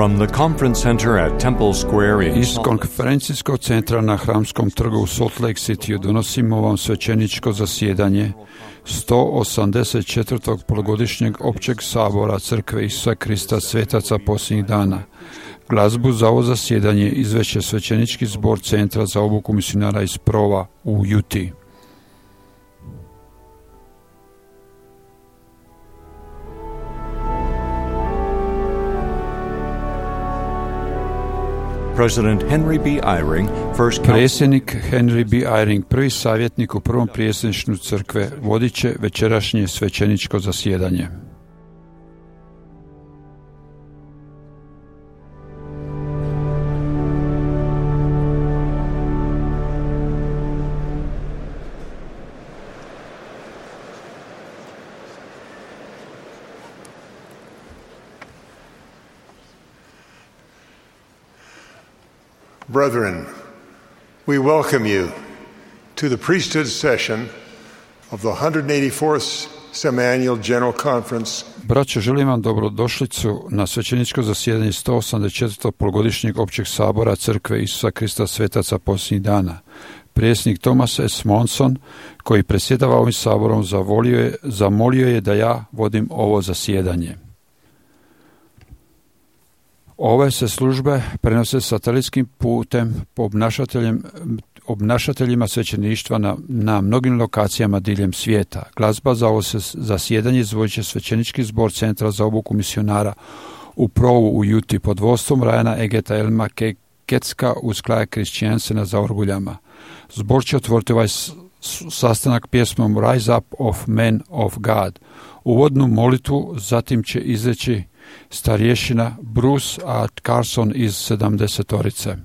From the conference center at Temple Square in Iz konferencijskog centra na Hramskom trgu u Salt Lake Cityu donosimo vam svećeničko zasjedanje 184. polugodišnjeg općeg sabora Crkve Isusa Krista svetaca posljednjih dana. Glazbu za ovo zasjedanje izveće svećenički zbor Centra za obuku misionara iz Prova u Utah. President Henry B. Eyring, Predsjednik Henry B. Eyring, prvi savjetnik u prvom predsjedništvu crkve, vodit će večerašnje svećeničko zasjedanje. Brethren, we welcome you to the priesthood session of the 184th Semiannual General Conference. Braćo, želim vam dobrodošlicu na svećeničko zasjedanje 184. polugodišnjeg općeg sabora Crkve Isusa Krista svetaca posljednjih dana. Predsjednik Thomas S. Monson, koji predsjedava ovim saborom, zamolio je da ja vodim ovo zasjedanje. Ove se službe prenose satelitskim putem po obnašateljima svećeništva na mnogim lokacijama diljem svijeta. Glazba za ovo zasjedanje izvodit će svećenički zbor Centra za obuku misionara u Provu u Utah pod vodstvom Ryana Egeta Elma Kecka uz Klaja Krišćansena za orguljama. Zbor će otvoriti ovaj sastanak pjesmom Rise Up of Men of God. Uvodnu molitvu zatim će izreći starješina Bruce A. Carson iz 70-orice.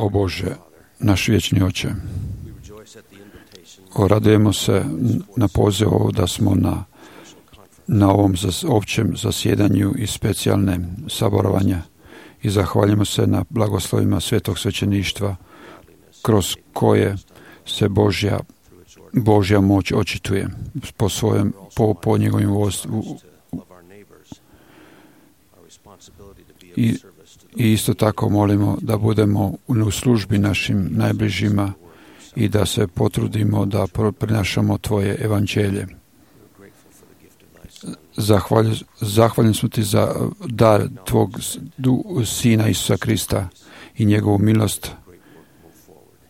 O Bože, naš vječni Oče, Radujemo se na poziv da smo na ovom općem zasjedanju i specijalne saborovanja i zahvaljujemo se na blagoslovima Svetog svećeništva kroz koje se Božja moć očituje po njegovim i isto tako molimo da budemo u službi našim najbližima i da se potrudimo da prinašamo Tvoje evanđelje. Zahvalni smo Ti za dar Tvog Sina Isusa Krista i njegovu milost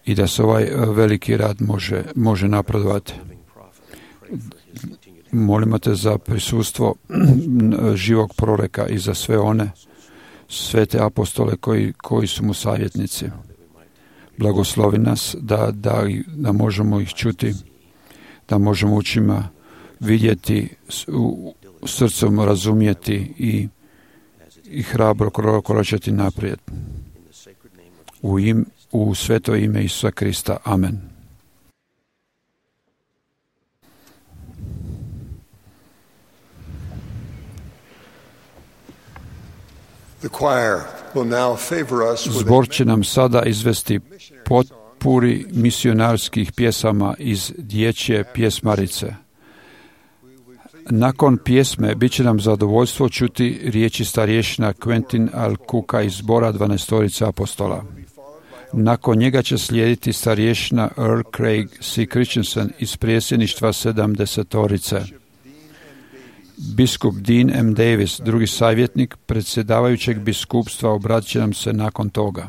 i da se ovaj veliki rad može napredovati. Molimo Te za prisustvo živog proroka i za sve one svete apostole koji su mu savjetnici. Blagoslovi nas da možemo ih čuti, da možemo očima vidjeti, srcem razumjeti i hrabro koračati naprijed. U sveto ime Isusa Krista. Amen. Zbor će nam sada izvesti potpuri misionarskih pjesama iz dječje pjesmarice. Nakon pjesme bit će nam zadovoljstvo čuti riječi starješina Quentin Al-Kuka iz zbora 12 apostola. Nakon njega će slijediti starješina Earl Craig C. Christensen iz predsjedništva 70. Biskup Dean M. Davis, drugi savjetnik predsjedavajućeg biskupstva, obratit će nam se nakon toga.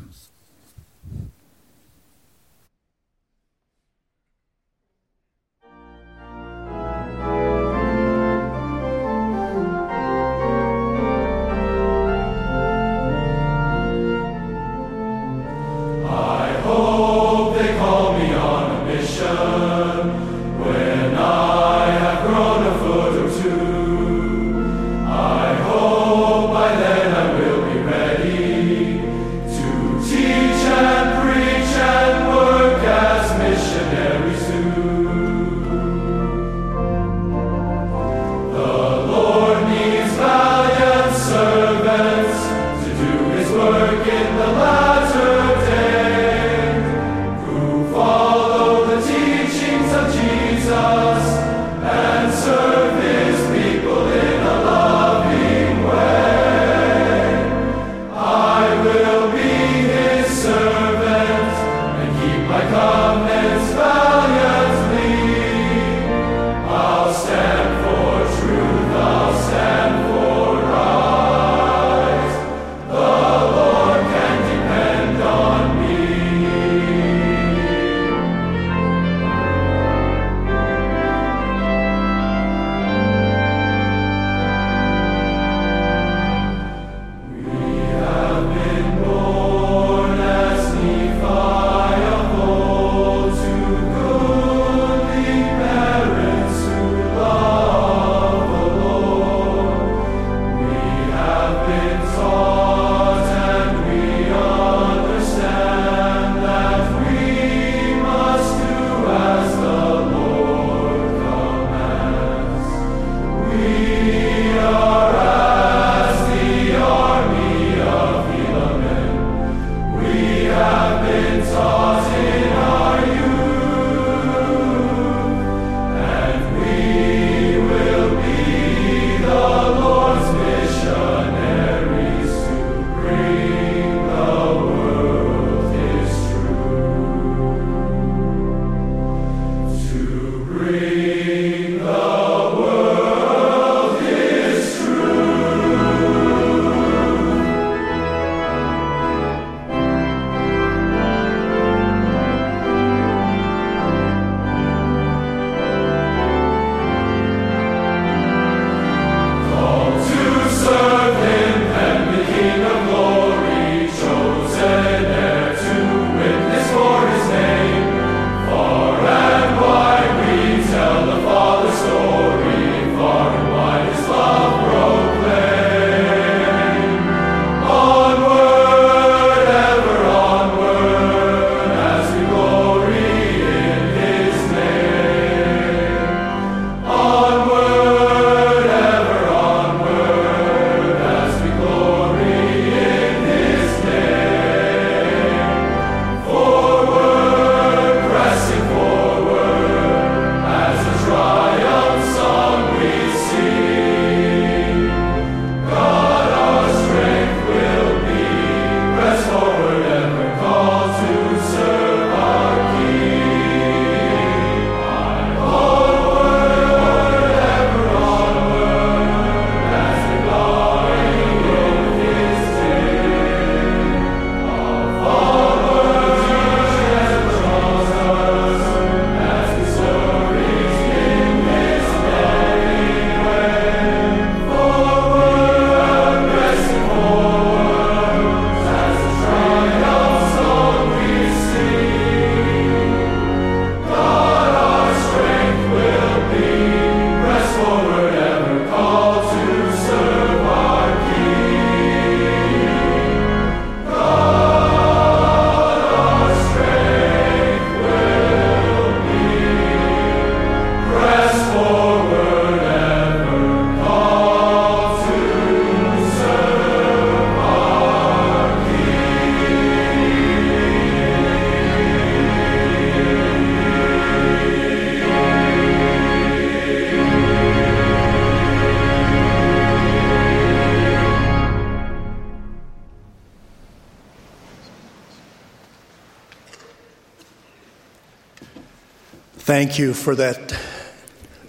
Thank you for that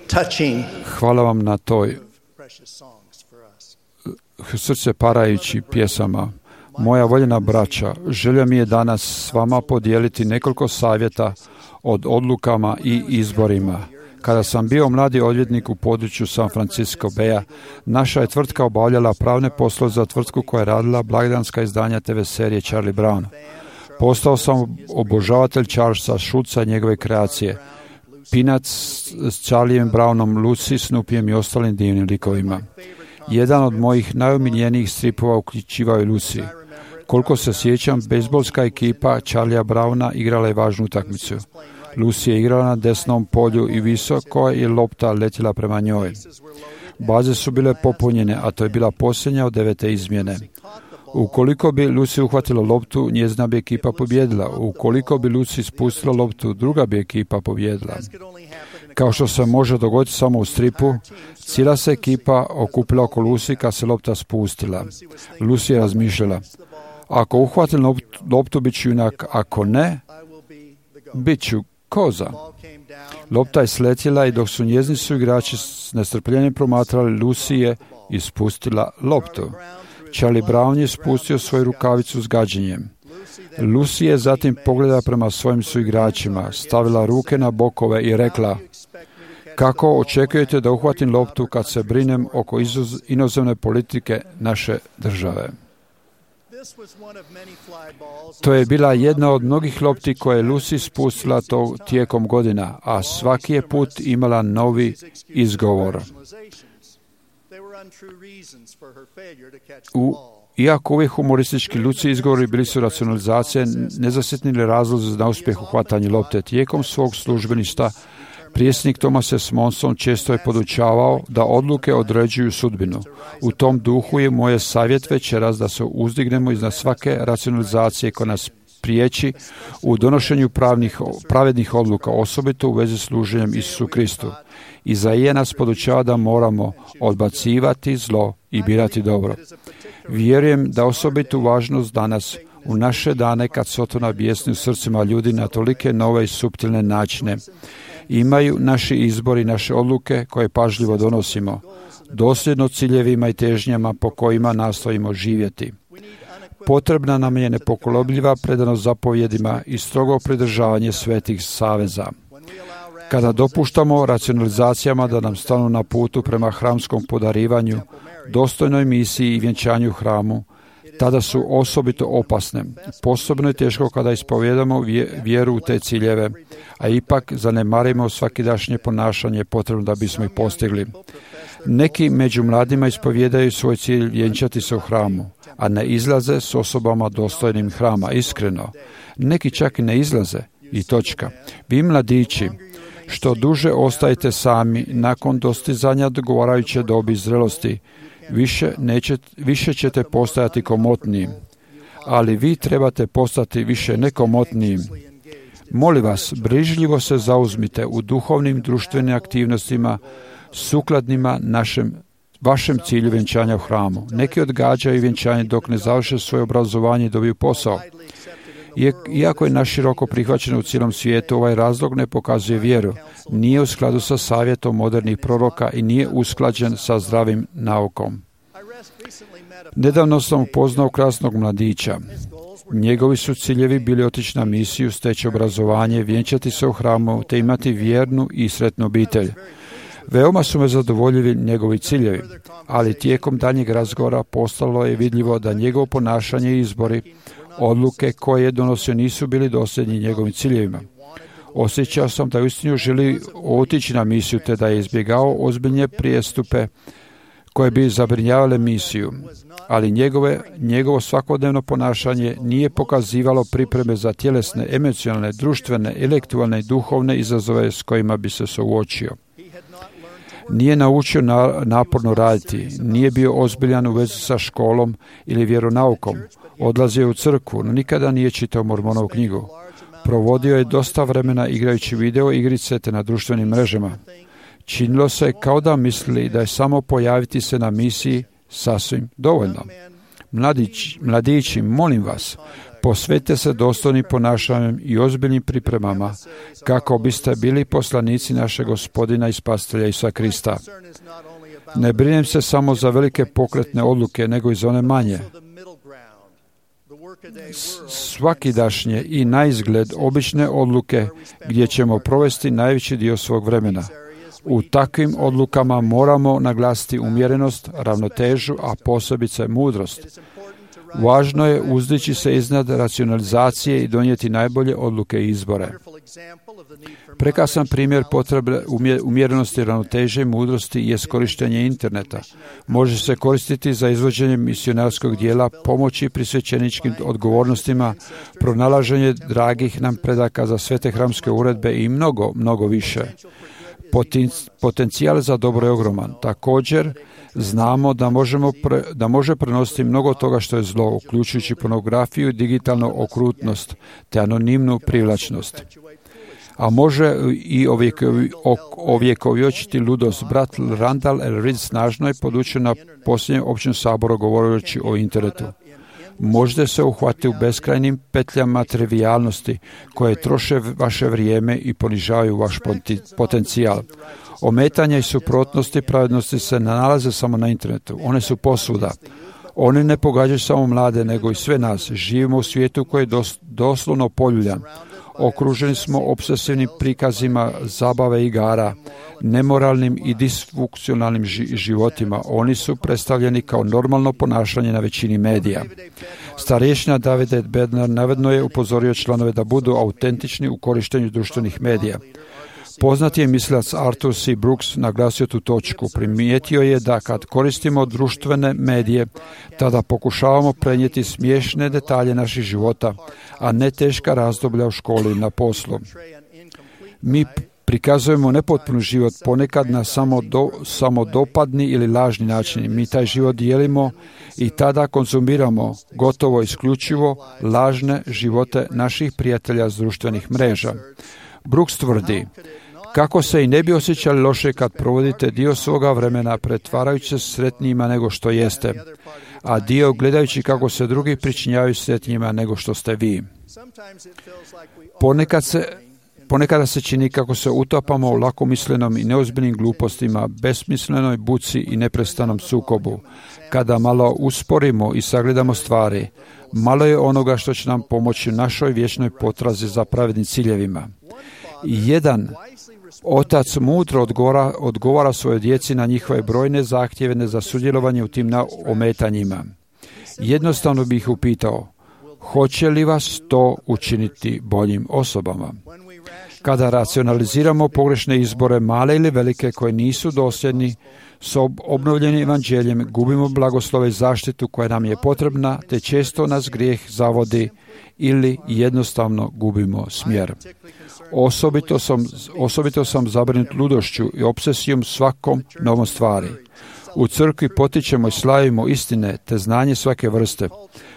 touching Hvala vam na toj precious songs for us. srce parajući pjesama. Moja voljena braća, želja mi je danas s vama podijeliti nekoliko savjeta od odlukama i izborima. Kada sam bio mladi odvjetnik u području San Francisco Baya, naša je tvrtka obavljala pravne poslove za tvrtku koja je radila blagdanska izdanja TV serije Charlie Brown. Postao sam obožavatelj Charlesa Schulza i njegove kreacije. Peanuts s Charliem Brownom, Lucy, Snoopyjem i ostalim divnim likovima. Jedan od mojih najomiljenijih stripova uključivao je Lucy. Koliko se sjećam, bejzbolska ekipa Charliea Browna igrala je važnu utakmicu. Lucy je igrala na desnom polju i visoko je lopta letjela prema njoj. Baze su bile popunjene, a to je bila posljednja od 9. izmjene. Ukoliko bi Lucy uhvatila loptu, njezina bi ekipa pobjedila. Ukoliko bi Lucy spustila loptu, druga bi ekipa pobjedila. Kao što se može dogoditi samo u stripu, cijela se ekipa okupila oko Lucy kad se lopta spustila. Lucy je razmišljala: ako uhvatim loptu, bit ću junak, ako ne, bit ću koza. Lopta je sletjela i dok su njezini suigrači s nestrpljenjem promatrali, Lucy je ispustila loptu. Charlie Brown je spustio svoju rukavicu s gađenjem. Lucy je zatim pogledala prema svojim suigračima, stavila ruke na bokove i rekla: kako očekujete da uhvatim loptu kad se brinem oko inozemne politike naše države? To je bila jedna od mnogih lopti koje je Lucy spustila tijekom godina, a svaki je put imala novi izgovor. Iako uvijek humoristički Lucy izgovori bili su racionalizacije, nezasjetnili razlozi za uspjeh u hvatanju lopte. Tijekom svog službeništva prijesnik Thomas S. Monson često je podučavao da odluke određuju sudbinu. U tom duhu je moj savjet večeras da se uzdignemo iznad svake racionalizacije koja nas priječi u donošenju pravednih odluka, osobito u vezi s služenjem Isusu Kristu. Izaija nas podučava da moramo odbacivati zlo i birati dobro. Vjerujem da osobitu važnost danas, u naše dane kad Sotona bijesni u srcima ljudi na tolike nove i suptilne načine, imaju naši izbori, naše odluke koje pažljivo donosimo, dosljedno ciljevima i težnjama po kojima nastojimo živjeti. Potrebna nam je nepokolebljiva predanost zapovjedima i strogo pridržavanje svetih saveza. Kada dopuštamo racionalizacijama da nam stanu na putu prema hramskom podarivanju, dostojnoj misiji i vjenčanju hramu, tada su osobito opasne. Posebno je teško kada ispovjedamo vjeru u te ciljeve, a ipak zanemarimo svakidašnje ponašanje potrebno da bismo ih postigli. Neki među mladima ispovjedaju svoj cilj vjenčati se u hramu, a ne izlaze s osobama dostojnim hrama, iskreno. Neki čak i ne izlaze, i točka. Vi mladići, što duže ostajete sami nakon dostizanja odgovarajuće dobi zrelosti, više ćete postajati komotnijim. Ali vi trebate postati više nekomotnijim. Molim vas, brižljivo se zauzmite u duhovnim društvenim aktivnostima sukladnima vašem cilju vjenčanja u hramu. Neki odgađaju vjenčanje dok ne završe svoje obrazovanje i dobiju posao. Iako je naširoko prihvaćeno u cijelom svijetu, ovaj razlog ne pokazuje vjeru, nije u skladu sa savjetom modernih proroka i nije usklađen sa zdravim naukom. Nedavno sam upoznao krasnog mladića. Njegovi su ciljevi bili otići na misiju, steći obrazovanje, vjenčati se u hramu, te imati vjernu i sretnu obitelj. Veoma su me zadovoljili njegovi ciljevi, ali tijekom daljnjeg razgovora postalo je vidljivo da njegovo ponašanje i izbori, odluke koje je donosio, nisu bili dosljedni njegovim ciljevima. Osjećao sam da uistinu želi otići na misiju, te da je izbjegao ozbiljne prijestupe koje bi zabrinjavale misiju, ali njegovo svakodnevno ponašanje nije pokazivalo pripreme za tjelesne, emocionalne, društvene, intelektualne i duhovne izazove s kojima bi se suočio. Nije naučio naporno raditi, nije bio ozbiljan u vezi sa školom ili vjeronaukom. Odlazio je u crkvu, no nikada nije čitao Mormonovu knjigu. Provodio je dosta vremena igrajući video igrice te na društvenim mrežama. Činilo se kao da misli da je samo pojaviti se na misiji sasvim dovoljno. Mladići, molim vas, posvetite se dostojnim ponašanjem i ozbiljnim pripremama kako biste bili poslanici našeg Gospodina i Spasitelja Isusa Krista. Ne brinem se samo za velike pokretne odluke, nego i za one manje. Svakidašnje i naizgled obične odluke gdje ćemo provesti najveći dio svog vremena. U takvim odlukama moramo naglasiti umjerenost, ravnotežu, a posebice mudrost. Važno je uzdići se iznad racionalizacije i donijeti najbolje odluke i izbore. Prekrasan primjer potrebe umjerenosti, ravnoteže i mudrosti je korištenje interneta. Može se koristiti za izvođenje misionarskog dijela, pomoći pri svećeničkim odgovornostima, pronalaženje dragih nam predaka za svete hramske uredbe i mnogo više. Potencijal za dobro je ogroman. Također, znamo da može prenositi mnogo toga što je zlo, uključujući pornografiju i digitalnu okrutnost, te anonimnu privlačnost. A može i ovjekovječiti ludost. Brat Randall L. Reed snažno je podučio na posljednjem općem saboru govoreći o internetu. Možete se uhvatiti u beskrajnim petljama trivijalnosti koje troše vaše vrijeme i ponižavaju vaš potencijal. Ometanja i suprotnosti pravednosti se ne nalaze samo na internetu. One su posvuda. Oni ne pogađaju samo mlade, nego i sve nas. Živimo u svijetu koji je doslovno poljuljan. Okruženi smo obsesivnim prikazima zabave i igara, nemoralnim i disfunkcionalnim životima. Oni su predstavljeni kao normalno ponašanje na većini medija. Starješina David Bednar navedno je upozorio članove da budu autentični u korištenju društvenih medija. Poznati je mislilac Arthur C. Brooks naglasio tu točku. Primijetio je da kad koristimo društvene medije, tada pokušavamo prenijeti smiješne detalje naših života, a ne teška razdoblja u školi i na poslu. Mi prikazujemo nepotpun život, ponekad na samodopadni ili lažni način. Mi taj život dijelimo i tada konzumiramo gotovo isključivo lažne živote naših prijatelja s društvenih mreža. Brooks tvrdi, kako se i ne bi osjećali loše kad provodite dio svoga vremena pretvarajući se sretnijima nego što jeste, a dio gledajući kako se drugi pričinjavaju sretnijima nego što ste vi. Ponekada se čini kako se utapamo u lakomislenom i neozbiljnim glupostima, besmislenoj buci i neprestanom sukobu. Kada malo usporimo i sagledamo stvari, malo je onoga što će nam pomoći u našoj vječnoj potrazi za pravednim ciljevima. Jedan otac mudro odgovara svojoj djeci na njihove brojne zahtjeve za sudjelovanje u tim ometanjima. Jednostavno bih ih upitao, hoće li vas to učiniti boljim osobama? Kada racionaliziramo pogrešne izbore, male ili velike, koje nisu dosljedni s obnovljenim evanđeljem, gubimo blagoslove i zaštitu koja nam je potrebna, te često nas grijeh zavodi ili jednostavno gubimo smjer. Osobito sam zabrinut ludošću i obsesijom svakom novom stvari. U crkvi potičemo i slavimo istine te znanje svake vrste,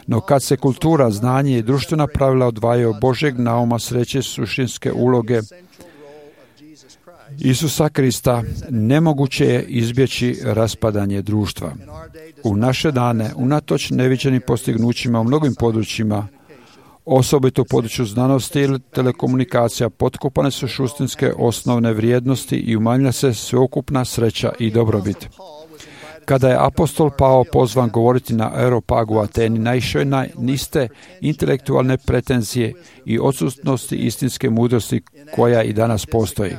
no kad se kultura, znanje i društvena pravila odvajaju od Božjeg nauma sreće suštinske uloge Isusa Krista, nemoguće je izbjeći raspadanje društva. U naše dane, unatoč neviđenim postignućima u mnogim područjima, osobito u području znanosti ili telekomunikacija, potkopane su suštinske osnovne vrijednosti i umanjila se sveukupna sreća i dobrobit. Kada je apostol Pavao pozvan govoriti na Areopagu u Ateni, naišao je na niste intelektualne pretenzije i odsutnosti istinske mudrosti koja i danas postoji.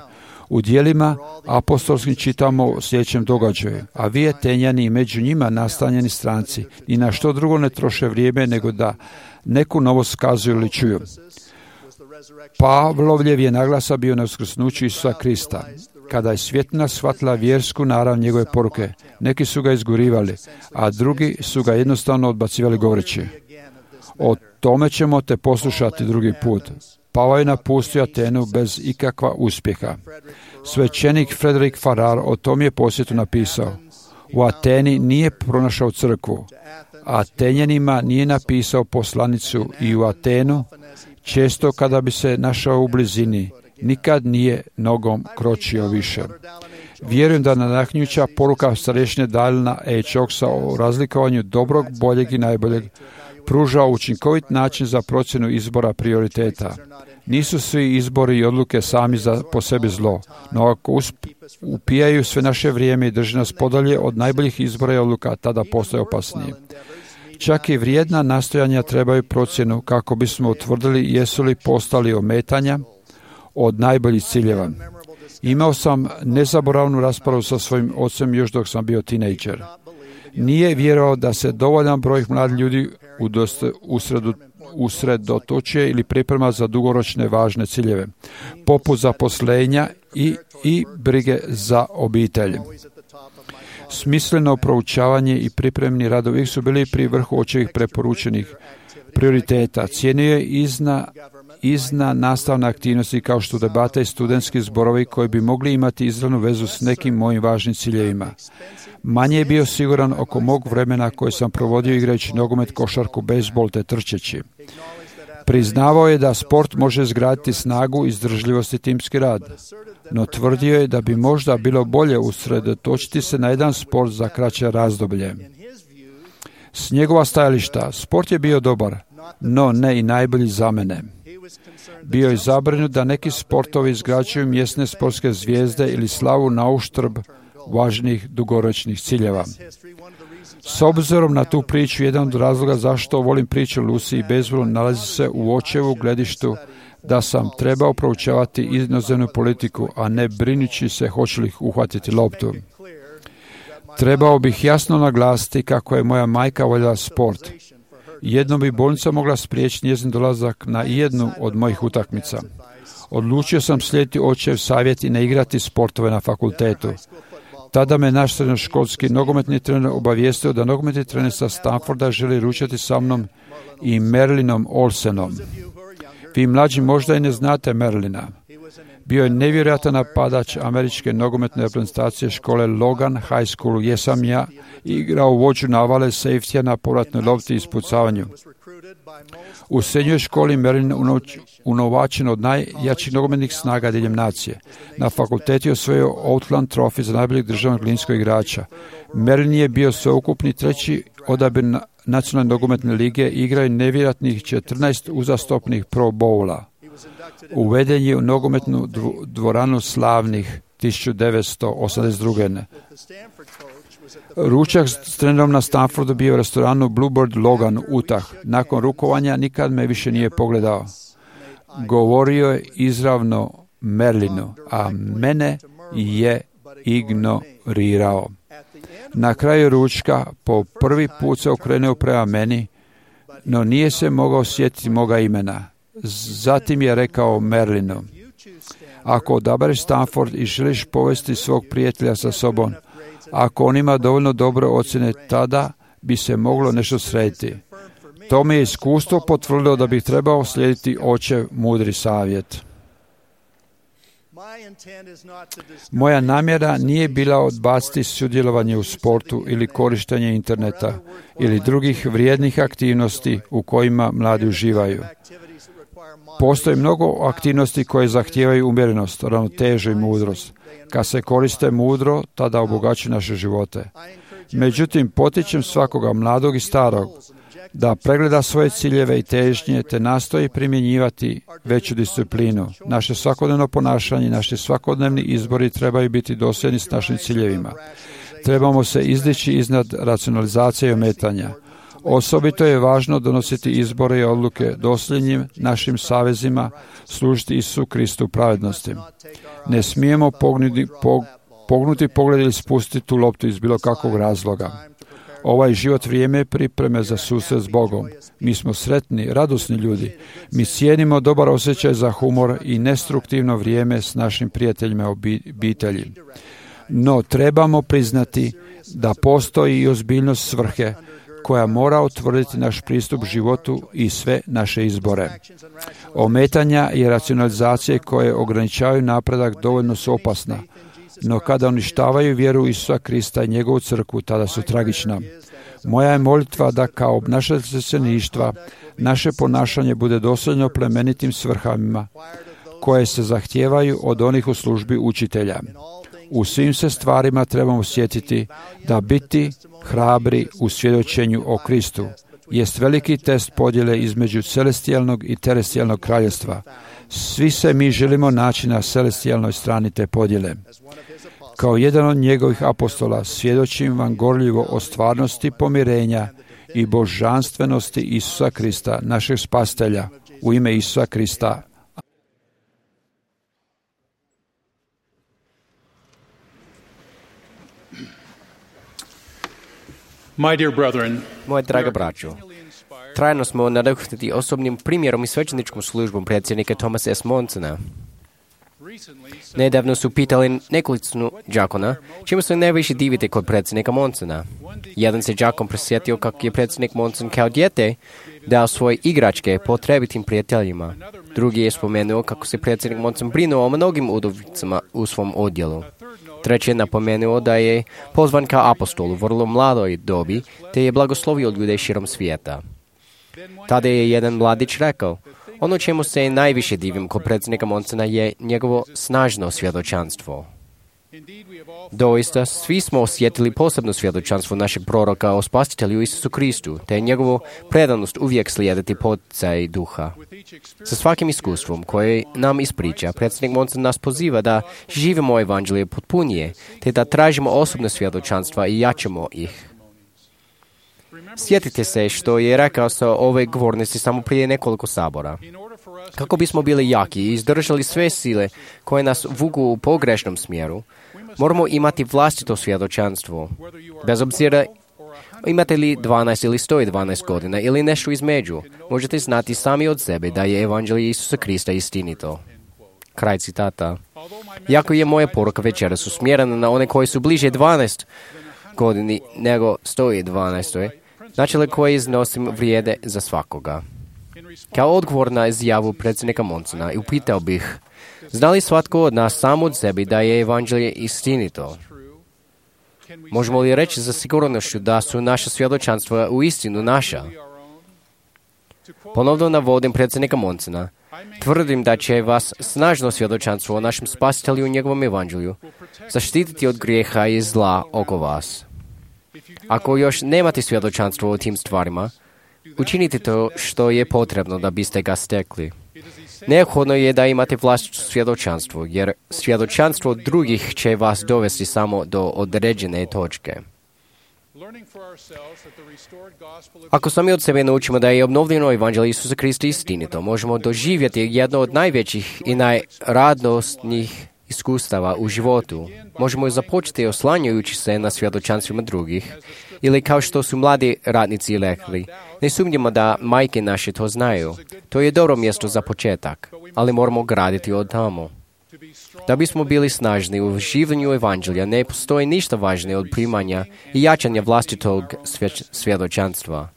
U dijelima apostolskim čitamo o sljedećem događaju, a vi Atenjani i među njima nastanjeni stranci i na što drugo ne troše vrijeme nego da neku novost skazuju ili čuju. Pavlovljev je naglasa bio na uskrsnuću Isusa Krista. Kada je svjetlina shvatila vjersku narav njegove poruke, neki su ga izgurivali, a drugi su ga jednostavno odbacivali govoreći, o tome ćemo te poslušati drugi put. Pavao je napustio Atenu bez ikakva uspjeha. Svećenik Frederick Farrar o tom je posjetu napisao, u Ateni nije pronašao crkvu, a Atenjanima nije napisao poslanicu i u Atenu, često kada bi se našao u blizini, nikad nije nogom kročio više. Vjerujem da nadahnjuća poruka starešine Dalina E. Čoksa o razlikovanju dobrog, boljeg i najboljeg pruža učinkovit način za procjenu izbora prioriteta. Nisu svi izbori i odluke sami po sebi zlo, no ako upijaju sve naše vrijeme i drži nas podalje od najboljih izbora i odluka, tada postaje opasnije. Čak i vrijedna nastojanja trebaju procjenu kako bismo utvrdili jesu li postali ometanja od najboljih ciljeva. Imao sam nezaboravnu raspravu sa svojim ocem još dok sam bio tinejdžer. Nije vjerovao da se dovoljan broj mladih ljudi usredotočuje ili priprema za dugoročne važne ciljeve, poput zaposlenja i brige za obitelj. Smisleno proučavanje i pripremni radovi su bili pri vrhu očevih preporučenih prioriteta. Cijenio je izna nastavne aktivnosti kao što debate i studentski zborovi koji bi mogli imati izravnu vezu s nekim mojim važnim ciljevima. Manje je bio siguran oko mog vremena koje sam provodio igrajući nogomet, košarku, bejzbol te trčeći. Priznavao je da sport može izgraditi snagu, izdržljivost i timski rad, no tvrdio je da bi možda bilo bolje usredotočiti se na jedan sport za kraće razdoblje. S njegova stajališta, sport je bio dobar, no ne i najbolji za mene. Bio je zabrinut da neki sportovi izgrađuju mjesne sportske zvijezde ili slavu na uštrb važnih dugoročnih ciljeva. S obzirom na tu priču, jedan od razloga zašto volim priču o Lucy i bejzbolu nalazi se u očevu gledištu da sam trebao proučavati inozemnu politiku, a ne brinući se hoće li uhvatiti loptu. Trebao bih jasno naglasiti kako je moja majka voljela sport. Jednom bi bolnica mogla spriječiti njezin dolazak na jednu od mojih utakmica. Odlučio sam slijediti očev savjet i ne igrati sportove na fakultetu. Tada me naš srednjoškolski nogometni trener obavijestio da nogometni trener sa Stanforda želi ručati sa mnom i Merlinom Olsenom. Vi mlađi možda i ne znate Merlina. Bio je nevjerojatan napadač američke nogometne reprezentacije škole Logan High School, gdje sam ja igrao vođu navale safetija na povratnoj lopti i ispucavanju. U srednjoj školi Merlin unovačen od najjačih nogometnih snaga diljem nacije. Na fakultetu je osvojio Outland Trophy za najboljeg državnog linijskog igrača. Merlin je bio sveukupni treći odabir nacionalne nogometne lige i igrao je nevjerojatnih 14 uzastopnih Pro Bowla. Uveden je u nogometnu dvoranu slavnih 1982. Ručak s trenerom na Stanfordu bio u restoranu Bluebird Logan Utah. Nakon rukovanja nikad me više nije pogledao. Govorio je izravno Merlinu, a mene je ignorirao. Na kraju ručka po prvi put se okrenuo prema meni, no nije se mogao sjetiti moga imena. Zatim je rekao Merlinu: ako odabereš Stanford i želiš povesti svog prijatelja sa sobom, ako on ima dovoljno dobre ocjene, tada bi se moglo nešto srediti. To mi je iskustvo potvrdilo da bih trebao slijediti očev mudri savjet. Moja namjera nije bila odbaciti sudjelovanje u sportu ili korištenje interneta ili drugih vrijednih aktivnosti u kojima mladi uživaju. Postoji mnogo aktivnosti koje zahtijevaju umjerenost, ravnotežu i mudrost. Kad se koriste mudro, tada obogaćuju naše živote. Međutim, potičem svakoga mladog i starog da pregleda svoje ciljeve i težnje te nastoji primjenjivati veću disciplinu. Naše svakodnevno ponašanje, naši svakodnevni izbori trebaju biti dosljedni s našim ciljevima. Trebamo se izdići iznad racionalizacije i ometanja. Osobito je važno donositi izbore i odluke dosljednim našim savezima, služiti Isusu Kristu pravednosti. Ne smijemo pognuti pogled ili spustiti tu loptu iz bilo kakvog razloga. Ovaj život vrijeme pripreme za susret s Bogom. Mi smo sretni, radosni ljudi. Mi cijenimo dobar osjećaj za humor i destruktivno vrijeme s našim prijateljima obitelji. No, trebamo priznati da postoji i ozbiljnost svrhe koja mora utvrditi naš pristup životu i sve naše izbore. Ometanja i racionalizacije koje ograničavaju napredak dovoljno su opasna, no kada uništavaju vjeru Isusa Krista i njegovu crkvu, tada su tragična. Moja je molitva da kao obnašatelj svećeništva naše ponašanje bude dosljedno plemenitim svrhama koje se zahtijevaju od onih u službi učitelja. U svim se stvarima trebamo sjetiti da biti hrabri u svjedočenju o Kristu jest veliki test podjele između celestijalnog i terestijalnog kraljestva. Svi se mi želimo naći na celestijalnoj strani te podjele. Kao jedan od njegovih apostola svjedočim vam gorljivo o stvarnosti pomirenja i božanstvenosti Isusa Krista, našeg spasitelja, u ime Isusa Krista. Moje draga braćo, trajno smo nadahnuti osobnim primjerom i svećeničkom službom predsjednika Thomasa S. Monsona. Nedavno su pitali nekolicinu đakona čemu se najviše divite kod predsjednika Monsona. Jedan se đakon prisjetio kako je predsjednik Monson kao dijete dao svoje igračke potrebitim prijateljima. Drugi je spomenuo kako se predsjednik Monson brinuo o mnogim udovicama u svom odjelu. Treći je napomenuo da je pozvan kao apostol u vrlo mladoj dobi, te je blagoslovio ljude širom svijeta. Tada je jedan mladić rekao, ono čemu se najviše divim kod predsjednika Monsona je njegovo snažno svjedočanstvo. Doista, svi smo osjetili posebno svjedočanstvo našeg proroka o spasitelju Isusu Kristu, te njegovu predanost uvijek slijediti poticaj duha. Sa svakim iskustvom koje nam ispriča, predsjednik Monson nas poziva da živimo evanđelje potpunije, te da tražimo osobne svjedočanstva i jačamo ih. Sjetite se što je rekao sa ove govornice samo prije nekoliko sabora. Kako bismo bili jaki i izdržali sve sile koje nas vuku u pogrešnom smjeru, moramo imati vlastito svjedočanstvo. Bez obzira imate li 12 ili 112 godina ili nešto između, možete znati sami od sebe da je evanđelje Isusa Krista istinito. Kraj citata. Iako je moja poruka večeras usmjerena na one koji su bliže 12 godini nego 112. Načela koje iznosim vrijede za svakoga. Kao odgovor na izjavu predsjednika Monsona upitao bih, zna li svatko od nas sam od sebe da je evanđelje istinito? Možemo li reći za sigurnošću da su naša svjedočanstva u istinu naša? Ponovno navodim predsjednika Monsona. Tvrdim da će vas snažno svjedočanstvo o našem spasitelju i njegovom evanđelju zaštititi od grijeha i zla oko vas. Ako još nemate svjedočanstvo o tim stvarima, učinite to što je potrebno da biste ga stekli. Neophodno je da imate vlastito svjedočanstvo, jer svjedočanstvo drugih će vas dovesti samo do određene točke. Ako sami od sebe naučimo da je obnovljeno evanđelje Isusa Krista istinito, možemo doživjeti jedno od najvećih i najradosnijih iskustava u životu. Možemo započeti oslanjajući se na svjedočanstvima drugih, ili kao što su mladi radnici rekli, ne sumnjamo da majke naše to znaju. To je dobro mjesto za početak, ali moramo graditi od tamo. Da bismo bili snažni u življenju evanđelja, ne postoji ništa važnije od primanja i jačanja vlastitog svjedočanstva.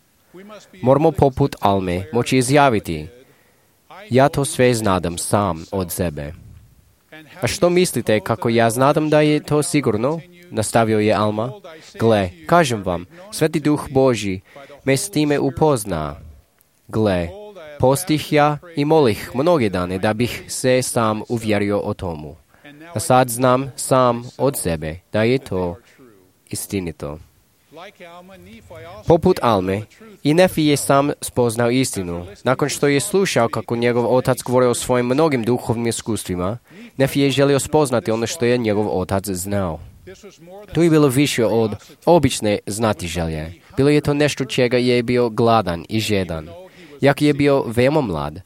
Moramo poput Alme moći izjaviti, ja to sve znadam sam od sebe. A što mislite kako ja znadam da je to sigurno? Nastavio je Alma. Gle, kažem vam, Sveti Duh Božji me s time upozna. Gle, postih ja i molih mnoge dane da bih se sam uvjerio o tomu. A sad znam sam od sebe da je to istinito. Poput Alme, i Nefi je sam spoznao istinu. Nakon što je slušao kako njegov otac govorio o svojim mnogim duhovnim iskustvima, Nefi je želio spoznati ono što je njegov otac znao. To je bilo više od obične znatiželje. Bilo je to nešto čega je bio gladan i žedan. Jak je bio veoma mlad,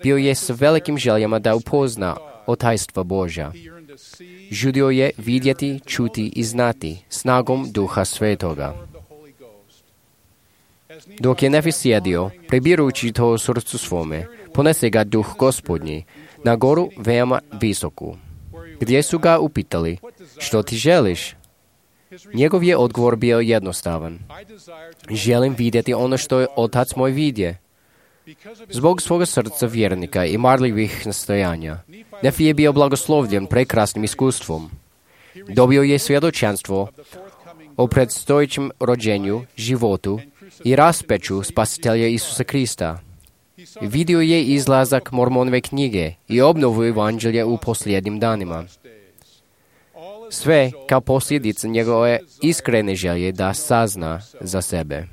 bio je s velikim željama da upozna o tajstva Božja. Žudio je vidjeti, čuti i znati snagom Duha Svetoga. Dok je Nefi sjedio, prebirujući to u srcu svome, ponese ga Duh Gospodnji na goru veoma visoku, gdje su ga upitali, što ti želiš? Njegov je odgovor bio jednostavan. Želim vidjeti ono što je Otac moj vidje. Zbog svoga srca vjernika i marljivih nastojanja, Nefi je bio blagoslovljen prekrasnim iskustvom. Dobio je svjedočanstvo o predstojećem rođenju, životu i raspeću spasitelja Isusa Krista. Vidio je izlazak Mormonove knjige i obnovu evanđelja u posljednjim danima. Sve kao posljedica njegove iskrene želje da sazna za sebe.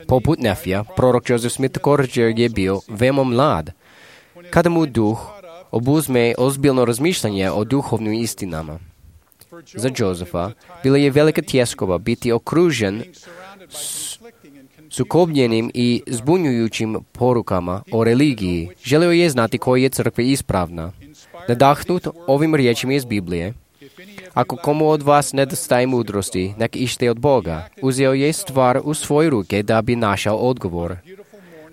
Poput Nefija, prorok Joseph Smith također je bio veoma mlad, kada mu duh obuzme ozbiljno razmišljanje o duhovnim istinama. Za Josefa bila je velika tjeskova biti okružen sukobljenim i zbunjujućim porukama o religiji. Želio je znati koja je crkva ispravna. Nadahnut ovim riječima iz Biblije: ako komu od vas nedostaje mudrosti, nek ište od Boga. Uzeo je stvar u svoje ruke da bi našao odgovor.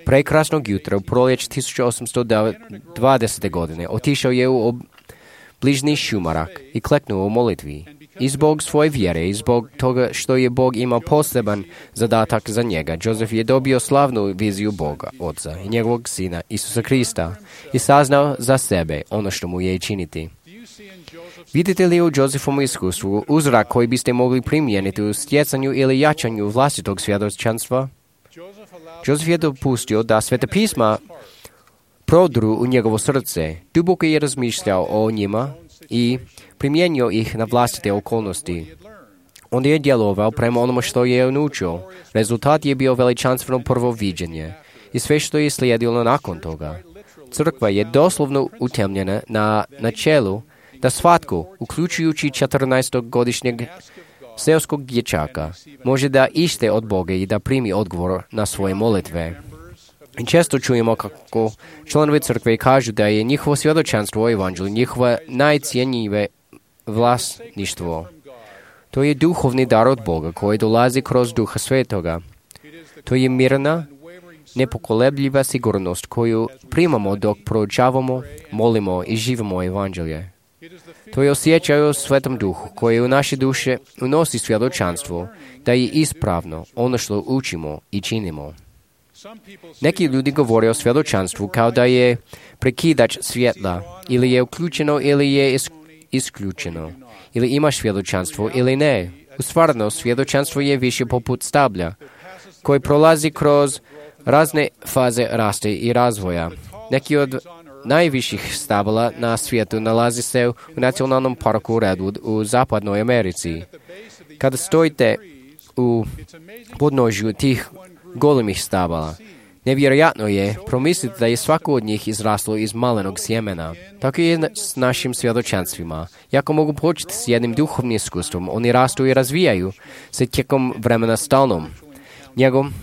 Prekrasnog jutra u proljeće 1820. godine otišao je u bližnji šumarak i kleknuo u molitvi. I zbog svoje vjere i zbog toga što je Bog imao poseban zadatak za njega, Joseph je dobio slavnu viziju Boga, Oca i njegovog Sina, Isusa Krista, i saznao za sebe ono što mu je činiti. Vidite li u Josephovom iskustvu uzrak koji biste mogli primijeniti u stjecanju ili jačanju vlastitog svjedočanstva? Joseph je dopustio da Sveta pisma prodru u njegovo srce, duboko je razmišljao o njima i primijenio ih na vlastite okolnosti. On je djelovao prema onome što je naučio. Rezultat je bio veličanstveno prvo viđenje i sve što je slijedilo nakon toga. Crkva je doslovno utemeljena na načelu da svatko, uključujući 14-godišnjeg seoskog dječaka, može da ište od Boga i da primi odgovor na svoje molitve. I često čujemo kako članovi crkve kažu da je njihovo svjedočanstvo o evanđelju njihova najcijenjive vlasništvo. To je duhovni dar od Boga koji dolazi kroz Duha Svetoga. To je mirna, nepokolebljiva sigurnost koju primamo dok proučavamo, molimo i živimo evanđelje. To je osjećaj o Svetom Duhu koji u naše duše unosi svjedočanstvo da je ispravno ono što učimo i činimo. Neki ljudi govore o svjedočanstvu kao da je prekidač svjetla, ili je uključeno ili je isključeno, ili imaš svjedočanstvo ili ne. U stvarnosti svjedočanstvo je više poput stablja, koji prolazi kroz razne faze raste i razvoja. Neki od najviših stabala na svijetu nalazi se u nacionalnom parku Redwood u zapadnoj Americi. Kada stojite u podnožju tih golemih stabala, nevjerojatno je promisliti da je svako od njih izraslo iz malenog sjemena. Tako je s našim svjedočanstvima. Jako mogu početi s jednim duhovnim iskustvom, oni rastu i razvijaju se tijekom vremena stalnom njegom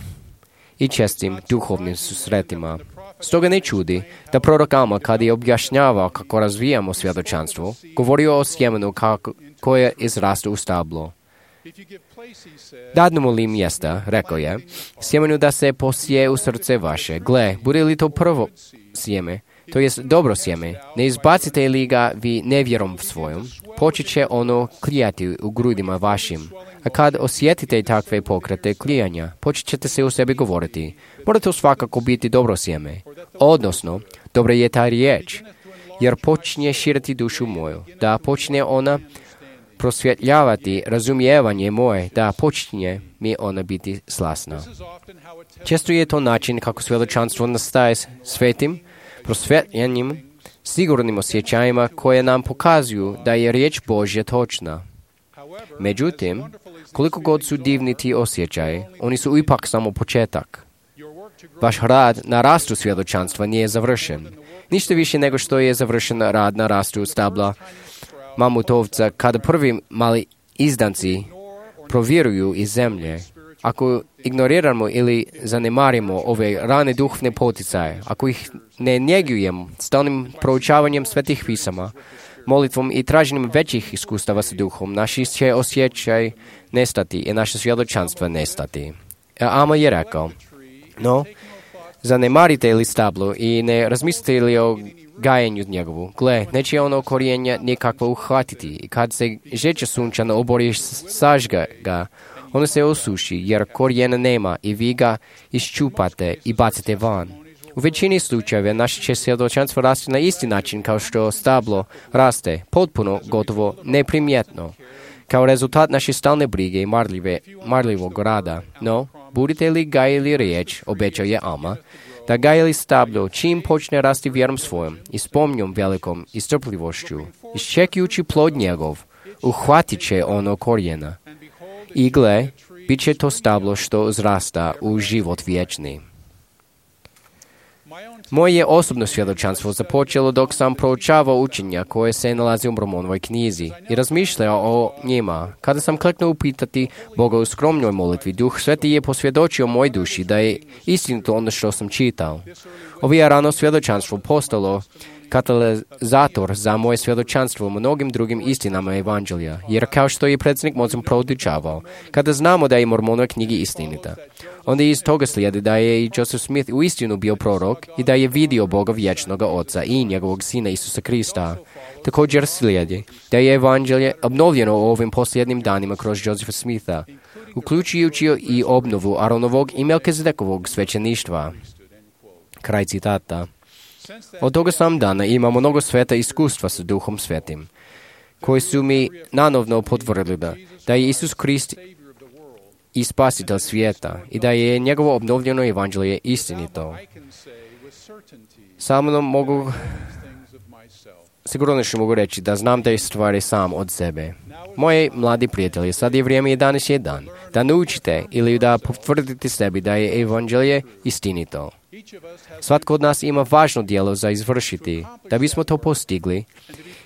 i čestim duhovnim susretima. Stoga ne čudi da prorok Alma, kada je objašnjavao kako razvijamo svjedočanstvo, govorio o sjemenu koje izraste u stablo. Dadnemo li mjesta, rekao je, sjemenu da se posije u srce vaše. Gle, bude li to prvo sjeme, to jest dobro sjeme, ne izbacite li ga vi nevjerom svojom, počet će ono klijati u grudima vašim. A kad osjetite takve pokrete klijanja, počet ćete se u sebi govoriti, mora to svakako biti dobro sjeme. Odnosno, dobra je ta riječ, jer počne širiti dušu moju, da počne ona prosvjetljavati razumijevanje moje, da počinje mi ona biti slasna. Često je to način kako svjedočanstvo nastaje svetim, prosvjetljenim, sigurnim osjećajima koje nam pokazuju da je riječ Božja točna. Međutim, koliko god su divni ti osjećaji, oni su ipak samo početak. Vaš rad na rastu svjedočanstva nije završen. Ništa više nego što je završen rad na rastu stabla mamutovca kada prvi mali izdanci provjeruju iz zemlje. Ako ignoriramo ili zanemarimo ove rane duhovne poticaje, ako ih ne njegujemo stalnim proučavanjem svetih pisama, molitvom i traženjem većih iskustava sa duhom, naši će osjećaj nestati i naše svjedočanstva nestati. Alma je rekao, no, zanemarite li stablo i ne razmislite li o gajenju njegovu. Gle, neće ono korijenja nikakvo uhvatiti i kad se žeća sunčana obori sažga ga, ono se osuši jer korijena nema i vi ga iščupate i bacite van. U većini slučajeva naše će svjedočanstvo rasti na isti način kao što stablo raste, potpuno, gotovo, neprimjetno, kao rezultat naše stalne brige i marljivog rada. No, budete li gajili riječ, obećao je Alma, da gajili stablo čim počne rasti vjerom svojom i s pomnjom velikom i strpljivošću, iščekujući plod njegov, uhvatit će ono korijena. I gle, bit će to stablo što uzrasta u život vječni. Moje osobno svjedočanstvo započelo dok sam proučavao učenja koje se nalazi u Mormonovoj knjizi i razmišljao o njima. Kada sam kleknuo upitati Boga u skromnoj molitvi, Duh Sveti je posvjedočio moj duši da je istinito ono što sam čitao. Ovo je rano svjedočanstvo postalo katalizator za moje svjedočanstvo u mnogim drugim istinama evanđelja, jer kao što je predsjednik Monson proučavao, kada znamo da je Mormonova knjiga istinita, onda iz toga slijedi da je i Joseph Smith u istinu bio prorok i da je vidio Boga vječnoga Oca i njegovog Sina Isusa Krista. Također slijedi da je evanđelje obnovljeno u ovim posljednjim danima kroz Josepha Smitha, uključujući i obnovu Aronovog i Melkizedekovog svećeništva. Kraj citata. Od toga sam dana imam mnogo sveta iskustva sa Duhom Svetim, koji su mi nanovno potvrdili da je Isus Krist i spasitelj svijeta i da je njegovo obnovljeno evanđelje istinito. Samo mogu, sigurno što mogu reći da znam te stvari sam od sebe. Moji mladi prijatelji, sad je vrijeme 11 dan, da naučite ili da potvrdite sebi da je evanđelje istinito. Svatko od nas ima važno djelo za izvršiti, da bismo to postigli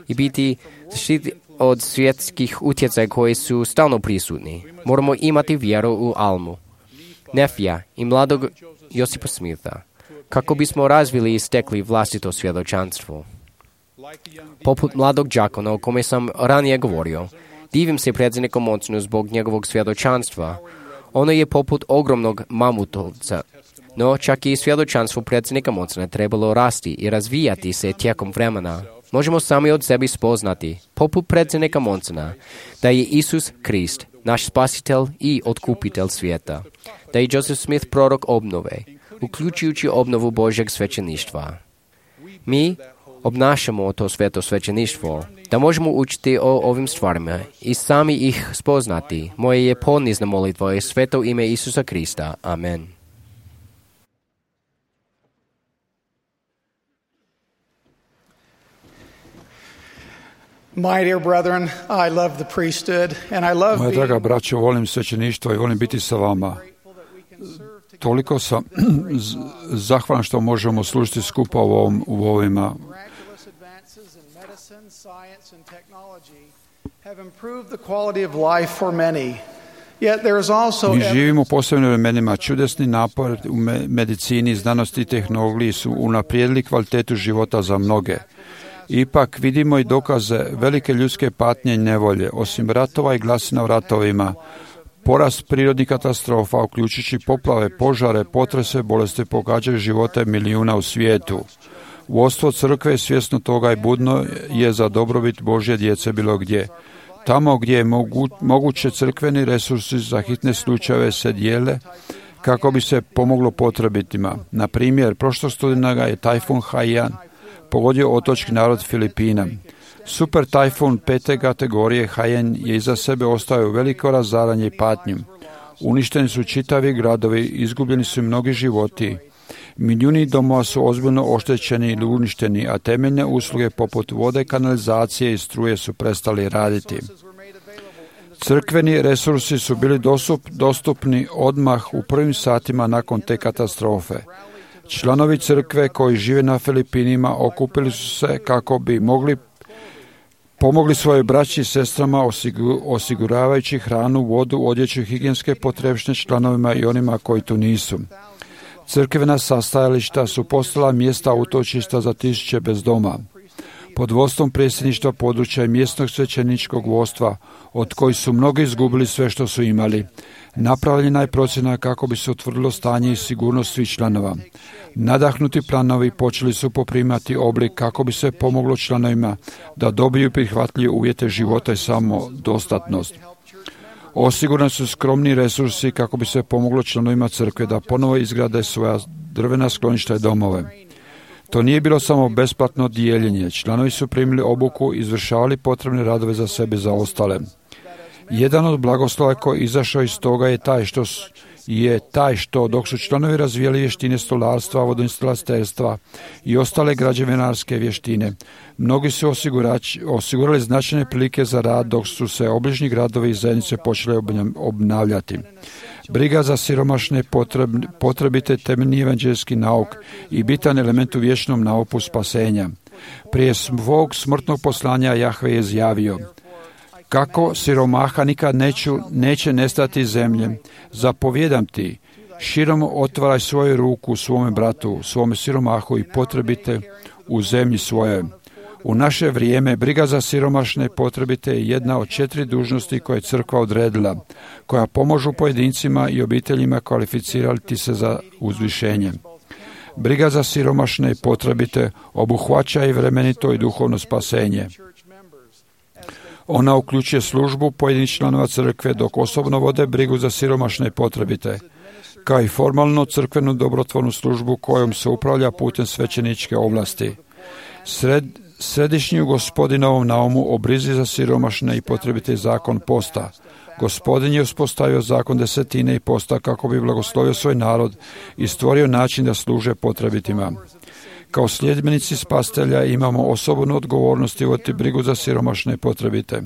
i biti zaštiti od svjetskih utjecaja koji su stalno prisutni. Moramo imati vjeru u Almu, Nefija i mladog Josipa Smitha, kako bismo razvili i stekli vlastito svjedočanstvo. Poput mladog đakona o kome sam ranije govorio, divim se predsjedniku Monsonu zbog njegovog svjedočanstva. Ono je poput ogromnog mamutovca, no čak i svjedočanstvo predsjednika Monsona trebalo rasti i razvijati se tijekom vremena. Možemo sami od sebi spoznati, poput predsjednika Monsona, da je Isus Krist, naš spasitelj i otkupitelj svijeta, da je Joseph Smith prorok obnove, uključujući obnovu Božjeg svećeništva. Mi obnašamo to sveto svećeništvo, da možemo učiti o ovim stvarima i sami ih spoznati. Moje je ponizna molitva je sveto ime Isusa Krista. Amen. My dear brethren, I love the priesthood and I love Moja draga braćo, volim svećeništvo i volim biti sa vama. Toliko sam zahvalan što možemo služiti skupa u ovima. Mi živimo u posebnim vremenima. Čudesni napor u medicini, znanosti i tehnologiji su unaprijedili kvalitetu života za mnoge. Ipak vidimo i dokaze velike ljudske patnje i nevolje. Osim ratova i glasina u ratovima, porast prirodnih katastrofa, uključujući poplave, požare, potrese, bolesti pogađaju živote milijuna u svijetu. Vodstvo crkve svjesno toga i budno je za dobrobit Božje djece bilo gdje. Tamo gdje je moguće, crkveni resursi za hitne slučajeve se dijele kako bi se pomoglo potrebitima. Na primjer, prošlog studenoga je tajfun Haiyan pogodio otočki narod Filipina. Super tajfun 5. kategorije Haiyan je iza sebe ostavio veliko razaranje i patnju. Uništeni su čitavi gradovi, izgubljeni su mnogi životi. Milijuni domova su ozbiljno oštećeni ili uništeni, a temeljne usluge poput vode, kanalizacije i struje su prestali raditi. Crkveni resursi su bili dostupni odmah u prvim satima nakon te katastrofe. Članovi crkve koji žive na Filipinima okupili su se kako bi pomogli svoje braći i sestrama osiguravajući hranu, vodu, odjeću i higijenske potrepštine članovima i onima koji tu nisu. Crkvena sastajališta su postala mjesta utočišta za tisuće bez doma. Pod vodstvom predsjedništva područja i mjesnog svećeničkog vodstva, od kojih su mnogi izgubili sve što su imali, napravljena je procjena kako bi se utvrdilo stanje i sigurnost svih članova. Nadahnuti planovi počeli su poprimati oblik kako bi se pomoglo članovima da dobiju prihvatljive uvjete života i samodostatnost. Osigurani su skromni resursi kako bi se pomoglo članovima crkve da ponovo izgrade svoja drvena skloništa i domove. To nije bilo samo besplatno dijeljenje. Članovi su primili obuku i izvršavali potrebne radove za sebe i za ostale. Jedan od blagoslova koji izašao iz toga je taj što je taj što dok su članovi razvijali vještine stolarstva, vodoinstalaterstva i ostale građevinarske vještine, mnogi su osigurali značajne prilike za rad dok su se obližnji gradovi i zajednice počeli obnavljati. Briga za siromašne potrebite temeljni evanđeljski nauk i bitan element u vječnom nauku spasenja. Prije svog smrtnog poslanja Jahve je izjavio: kako siromaha nikad neće nestati iz zemlje, zapovjedam ti, širom otvaraj svoju ruku svome bratu, svome siromahu i potrebite u zemlji svoje. U naše vrijeme briga za siromašne potrebite je jedna od 4 dužnosti koje je crkva odredila, koja pomožu pojedincima i obiteljima kvalificirati se za uzvišenje. Briga za siromašne potrebite obuhvaća i vremenito i duhovno spasenje. Ona uključuje službu pojedinih članova crkve dok osobno vode brigu za siromašne potrebite, kao i formalno crkvenu dobrotvornu službu kojom se upravlja putem svećeničke ovlasti. Središnji u Gospodinovom naumu o brizi za siromašne i potrebite zakon posta. Gospodin je uspostavio zakon desetine i posta kako bi blagoslovio svoj narod i stvorio način da služe potrebitima. Kao sljedbenici spastelja imamo osobnu odgovornost i voditi brigu za siromašne i potrebite.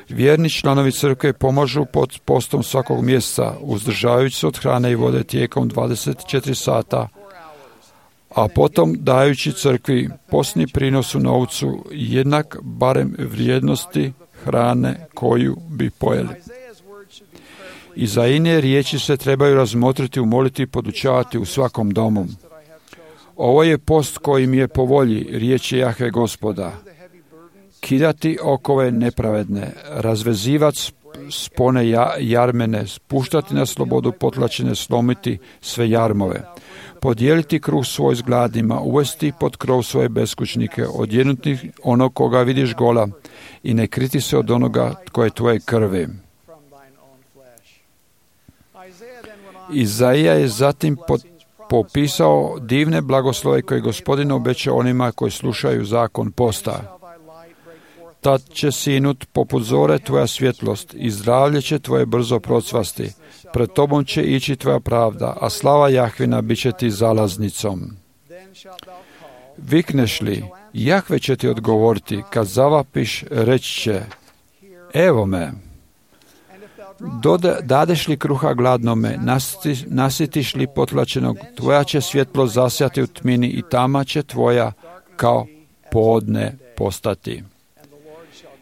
Vjerni članovi crkve pomažu pod postom svakog mjeseca, uzdržavajući se od hrane i vode tijekom 24 sata, a potom dajući crkvi postni prinos u novcu jednak barem vrijednosti hrane koju bi pojeli. Izaine riječi se trebaju razmotriti, umoliti i podučavati u svakom domu. Ovo je post koji mi je po volji, riječi Jahve Gospoda. Kidati okove nepravedne, razvezivat spone jarmene, spuštati na slobodu potlačene, slomiti sve jarmove, podijeliti kruh svoj s gladnima, uvesti pod krov svoje beskućnike, odjenuti onog koga vidiš gola i ne kriti se od onoga tko je tvoje krvi. Izaija je zatim popisao divne blagoslove koje Gospodin obeća onima koji slušaju zakon posta. Tad će sinut poput zore tvoja svjetlost i zdravlje će tvoje brzo procvasti. Pred tobom će ići tvoja pravda, a slava Jahvina bit će ti zalaznicom. Vikneš li, Jahve će ti odgovoriti, kad zavapiš reći će: evo me. Dadeš li kruha gladnome, nasitiš li potlačenog, tvoja će svjetlo zasjati u tmini i tama će tvoja kao podne postati.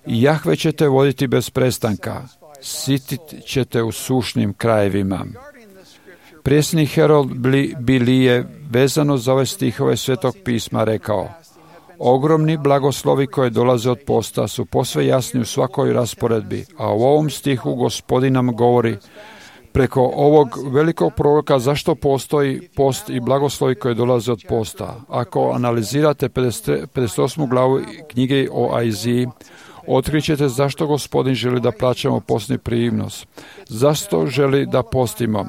I Jahve će te voditi bez prestanka, sitit će te u sušnim krajevima. Prijesni Herold Bili je vezano za ove stihove Svetog pisma rekao: ogromni blagoslovi koje dolaze od posta su posve jasni u svakoj rasporedbi, a u ovom stihu Gospodin nam govori preko ovog velikog proroka zašto postoji post i blagoslovi koje dolaze od posta. Ako analizirate 58. glavu knjige o Aiziji, otkrićete zašto Gospodin želi da plaćamo postni prinos. Zašto želi da postimo?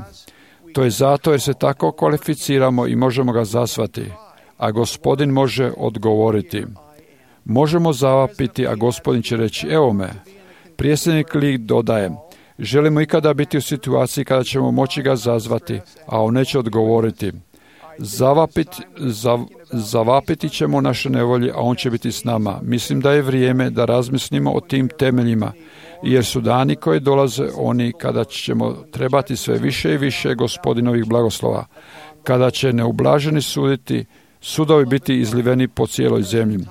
To je zato jer se tako kvalificiramo i možemo ga zasvati, a Gospodin može odgovoriti. Možemo zavapiti, a Gospodin će reći: evo me. Prijesednik Lik dodaje: želimo ikada biti u situaciji kada ćemo moći ga zazvati, a on neće odgovoriti. Zavapiti ćemo naše nevolje, a on će biti s nama. Mislim da je vrijeme da razmislimo o tim temeljima, jer su dani koji dolaze oni kada ćemo trebati sve više i više Gospodinovih blagoslova, kada će neublaženi suditi, sudovi biti izliveni po cijeloj zemlji.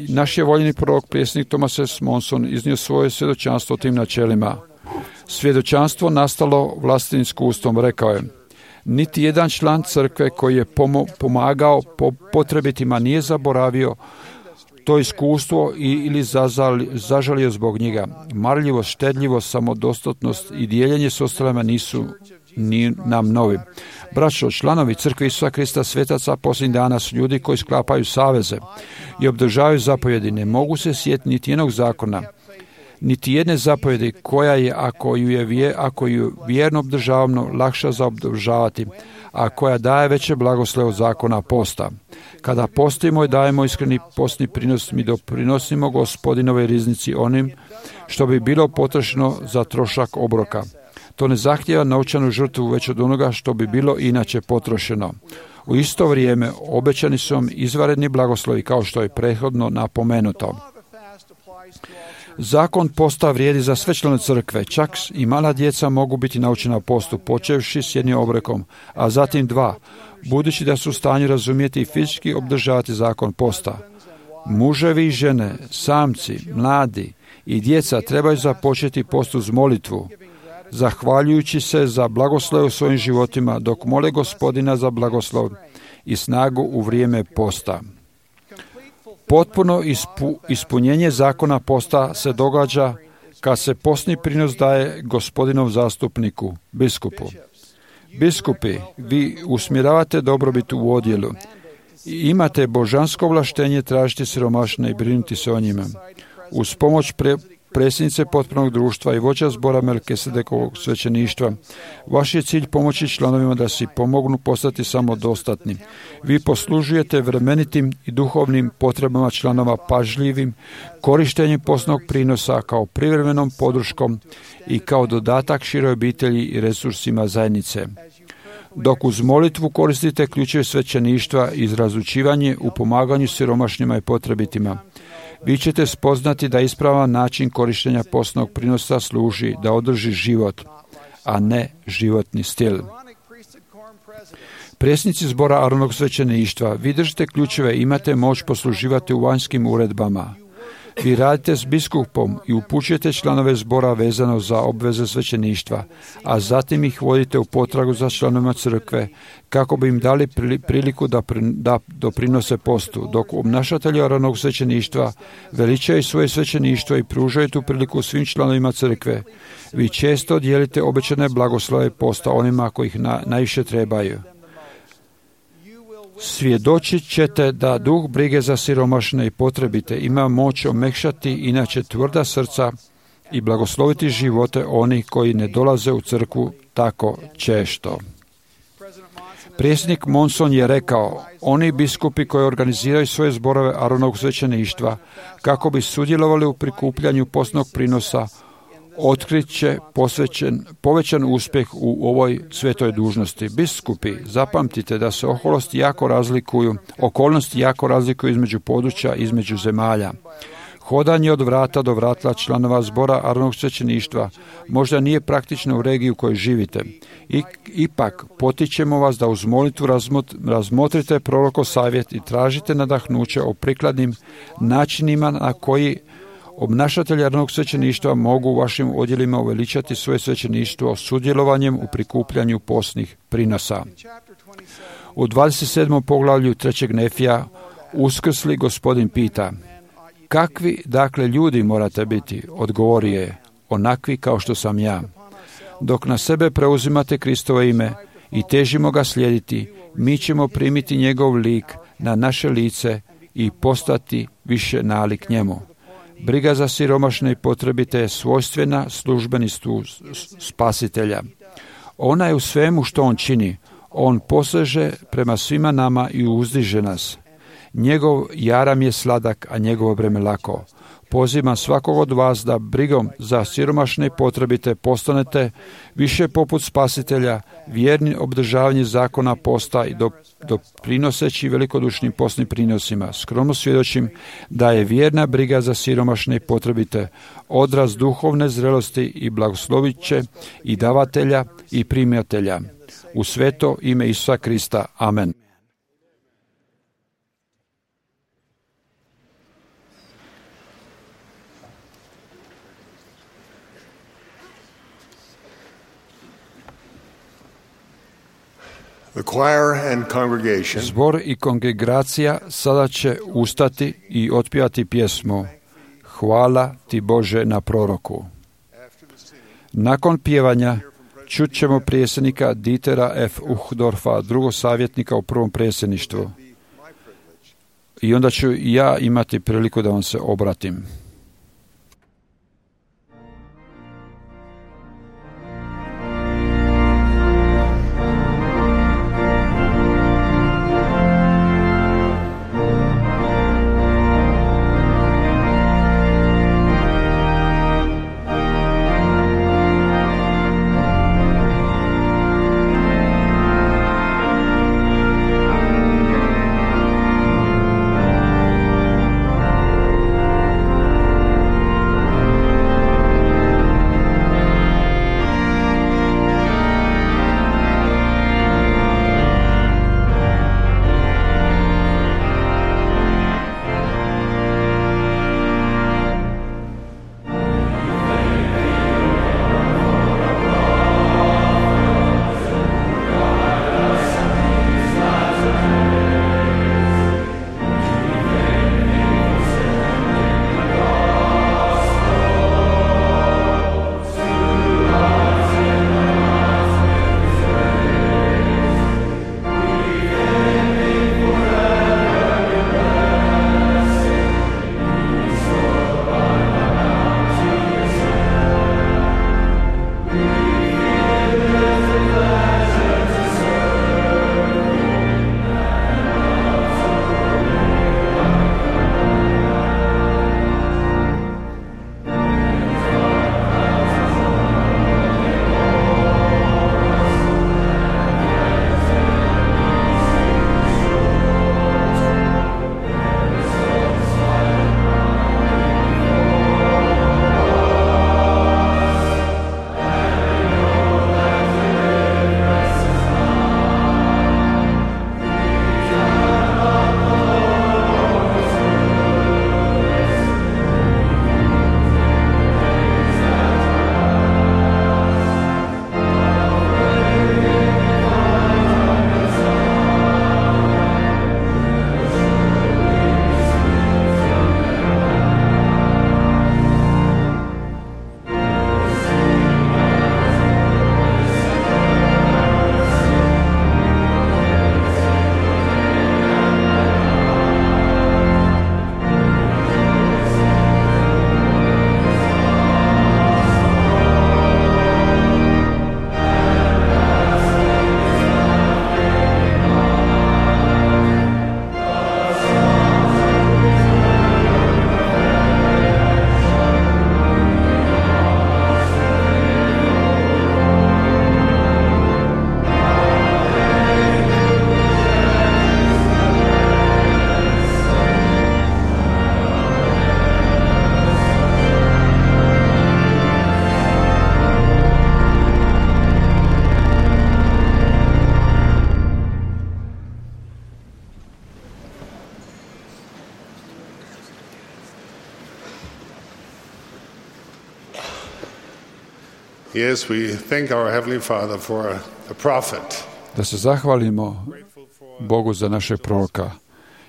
Naš je voljeni prorok, prijesnik Thomas S. Monson, iznio svoje svjedočanstvo o tim načelima. Svjedočanstvo nastalo vlastitim iskustvom, rekao je: niti jedan član crkve koji je pomagao potrebitima nije zaboravio to iskustvo ili zažalio zbog njega. Marljivost, štedljivost, samodostatnost i dijeljenje s ostalima nisu nam novi. Braćo, članovi crkve Isusa Krista svetaca posljednjih dana su ljudi koji sklapaju saveze i obdržavaju zapovjedi. Ne mogu se sjetiti niti jednog zakona, niti jedne zapovjedi koja je, ako ju vjerno obdržavamo, lakša za obdržavati, a koja daje veće blagoslove od zakona posta. Kada postimo i dajemo iskreni postni prinos, mi doprinosimo Gospodinove riznici onim što bi bilo potrošeno za trošak obroka. To ne zahtijeva novčanu žrtvu već od onoga što bi bilo inače potrošeno. U isto vrijeme obećani su vam izvanredni blagoslovi kao što je prethodno napomenuto. Zakon posta vrijedi za sve članove crkve, čak i mala djeca mogu biti naučena postu, počevši s jednim obrekom, a zatim 2, budući da su u stanju razumjeti i fizički obdržavati zakon posta. Muževi i žene, samci, mladi i djeca trebaju započeti post uz molitvu, zahvaljujući se za blagoslov u svojim životima, dok mole Gospodina za blagoslov i snagu u vrijeme posta. Potpuno ispunjenje zakona posta se događa kad se postni prinos daje Gospodinov zastupniku, biskupu. Biskupi, vi usmjeravate dobrobit u odjelu i imate božansko ovlaštenje tražiti siromašne i brinuti se o njima. Uz pomoć predsjednice potpunog društva i vođa zbora Melkisedekovog svećeništva, vaš je cilj pomoći članovima da si pomognu postati samodostatni. Vi poslužujete vremenitim i duhovnim potrebama članova pažljivim korištenjem postnog prinosa kao privremenom podrškom i kao dodatak široj obitelji i resursima zajednice. Dok uz molitvu koristite ključeve svećeništva i razlučivanje u pomaganju siromašnima i potrebitima, vi ćete spoznati da ispravan način korištenja postnog prinosa služi da održi život, a ne životni stil. Predsjednici zbora Aronovog svećeništva, vi držite ključeve i imate moć posluživati u vanjskim uredbama. Vi radite s biskupom i upućujete članove zbora vezano za obveze svećeništva, a zatim ih vodite u potragu za članovima crkve kako bi im dali priliku da doprinose postu, dok obnašatelji Aronovog svećeništva veličaju svoje svećeništvo i pružaju tu priliku svim članovima crkve. Vi često dijelite obećane blagoslove posta onima koji ih najviše trebaju. Svjedočit ćete da duh brige za siromašne i potrebite ima moć omekšati inače tvrda srca i blagosloviti živote onih koji ne dolaze u crkvu tako često. Predsjednik Monson je rekao, oni biskupi koji organiziraju svoje zborove Aronovog svećeništva kako bi sudjelovali u prikupljanju postnog prinosa, otkrit će povećan uspjeh u ovoj svetoj dužnosti. Biskupi, zapamtite da se okolnosti jako razlikuju između područja, između zemalja. Hodanje od vrata do vrata članova zbora Aronovog svećeništva možda nije praktično u regiji u kojoj živite. Ipak, potičemo vas da uz molitvu razmotrite prorokov savjet i tražite nadahnuće o prikladnim načinima na koji obnašatelji Aronovog svećeništva mogu u vašim odjelima uveličati svoje svećeništvo sudjelovanjem u prikupljanju postnih prinosa. U 27. poglavlju 3. Nefija uskrsli Gospodin pita, kakvi dakle ljudi morate biti? Odgovori je, onakvi kao što sam ja. Dok na sebe preuzimate Kristovo ime i težimo ga slijediti, mi ćemo primiti njegov lik na naše lice i postati više nalik njemu. Briga za siromašne i potrebite je svojstvena službeništvu spasitelja. Ona je u svemu što on čini. On poseže prema svima nama i uzdiže nas. Njegov jaram je sladak, a njegovo breme lako. Pozivam svakog od vas da brigom za siromašne i potrebite postanete više poput spasitelja, vjerni obdržavanje zakona posta i doprinoseći velikodušnim postnim prinosima. Skromno svjedočim da je vjerna briga za siromašne i potrebite odraz duhovne zrelosti i blagoslovit će i davatelja i primatelja. U sveto ime Isusa Krista. Amen. The choir and congregation Zbor i kongregacija sada će ustati i otpjevati pjesmu Hvala ti Bože na proroku. Nakon pjevanja čut ćemo predsjednika Dietera F. Uchtdorfa, drugog savjetnika u prvom predsjedništvu. I onda ću ja imati priliku da vam se obratim. Yes, we thank our Heavenly Father for a prophet. Da se zahvalimo Bogu za našeg proroka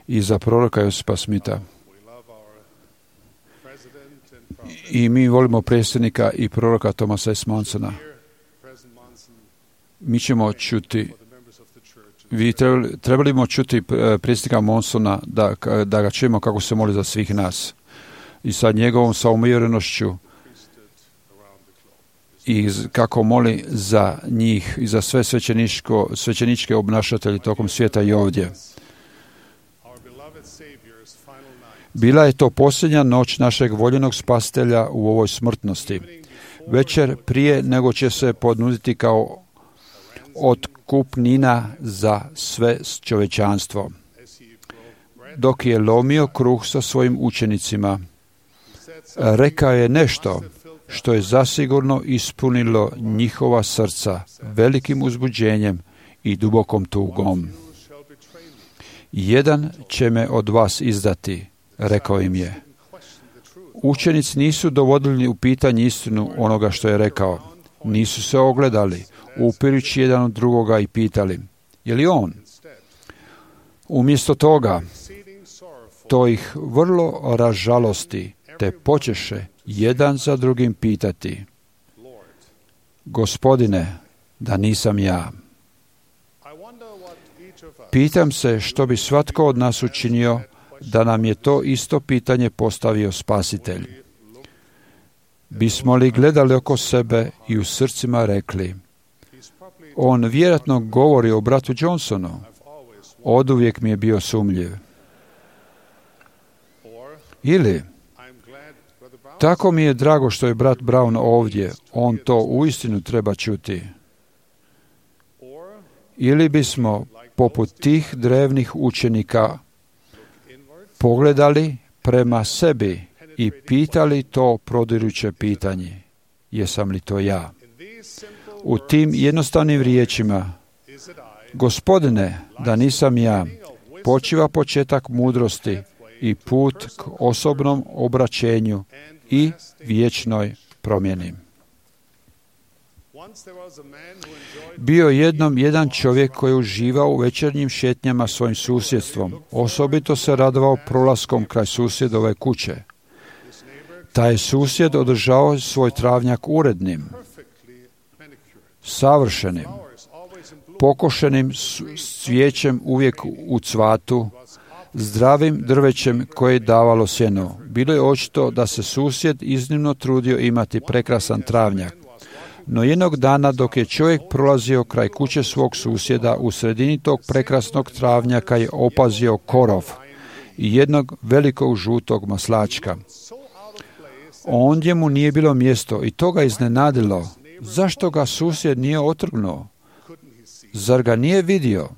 i za proroka Josipa Smitha. I mi volimo predsjednika i proroka Thomasa S. Mansona. Mi ćemo čuti, trebali smo čuti predsjednika Mansona da ga čujemo kako se moli za svih nas. I sa njegovom samouvjerenošću i kako moli za njih i za sve svećeničke obnašatelje tokom svijeta i ovdje. Bila je to posljednja noć našeg voljenog spasitelja u ovoj smrtnosti. Večer prije nego će se ponuditi kao otkupnina za sve čovječanstvo. Dok je lomio kruh sa svojim učenicima, rekao je nešto što je zasigurno ispunilo njihova srca velikim uzbuđenjem i dubokom tugom. Jedan će me od vas izdati, rekao im je. Učenici nisu dovodili u pitanje istinu onoga što je rekao. Nisu se ogledali, upirući jedan od drugoga i pitali, je li on? Umjesto toga, to ih vrlo ražalosti, te počeše jedan za drugim pitati, Gospodine, da nisam ja. Pitam se što bi svatko od nas učinio da nam je to isto pitanje postavio Spasitelj. Bismo li gledali oko sebe i u srcima rekli, on vjerojatno govori o bratu Johnsonu, oduvijek mi je bio sumnjiv. Ili, tako mi je drago što je brat Brown ovdje, on to uistinu treba čuti. Ili bismo, poput tih drevnih učenika, pogledali prema sebi i pitali to prodiruće pitanje, jesam li to ja? U tim jednostavnim riječima, Gospodine, da nisam ja, počiva početak mudrosti i put k osobnom obraćenju i vječnoj promjeni. Bio jednom jedan čovjek koji je uživao u večernjim šetnjama svojim susjedstvom. Osobito se radovao prolaskom kraj susjedove kuće. Taj susjed održao svoj travnjak urednim, savršenim, pokošenim cvijećem uvijek u cvatu, zdravim drvećem koje je davalo sjeno. Bilo je očito da se susjed iznimno trudio imati prekrasan travnjak. No jednog dana dok je čovjek prolazio kraj kuće svog susjeda, u sredini tog prekrasnog travnjaka je opazio korov i jednog velikog žutog maslačka. Ondje mu nije bilo mjesto i to ga iznenadilo. Zašto ga susjed nije otrgnuo? Zar ga nije vidio?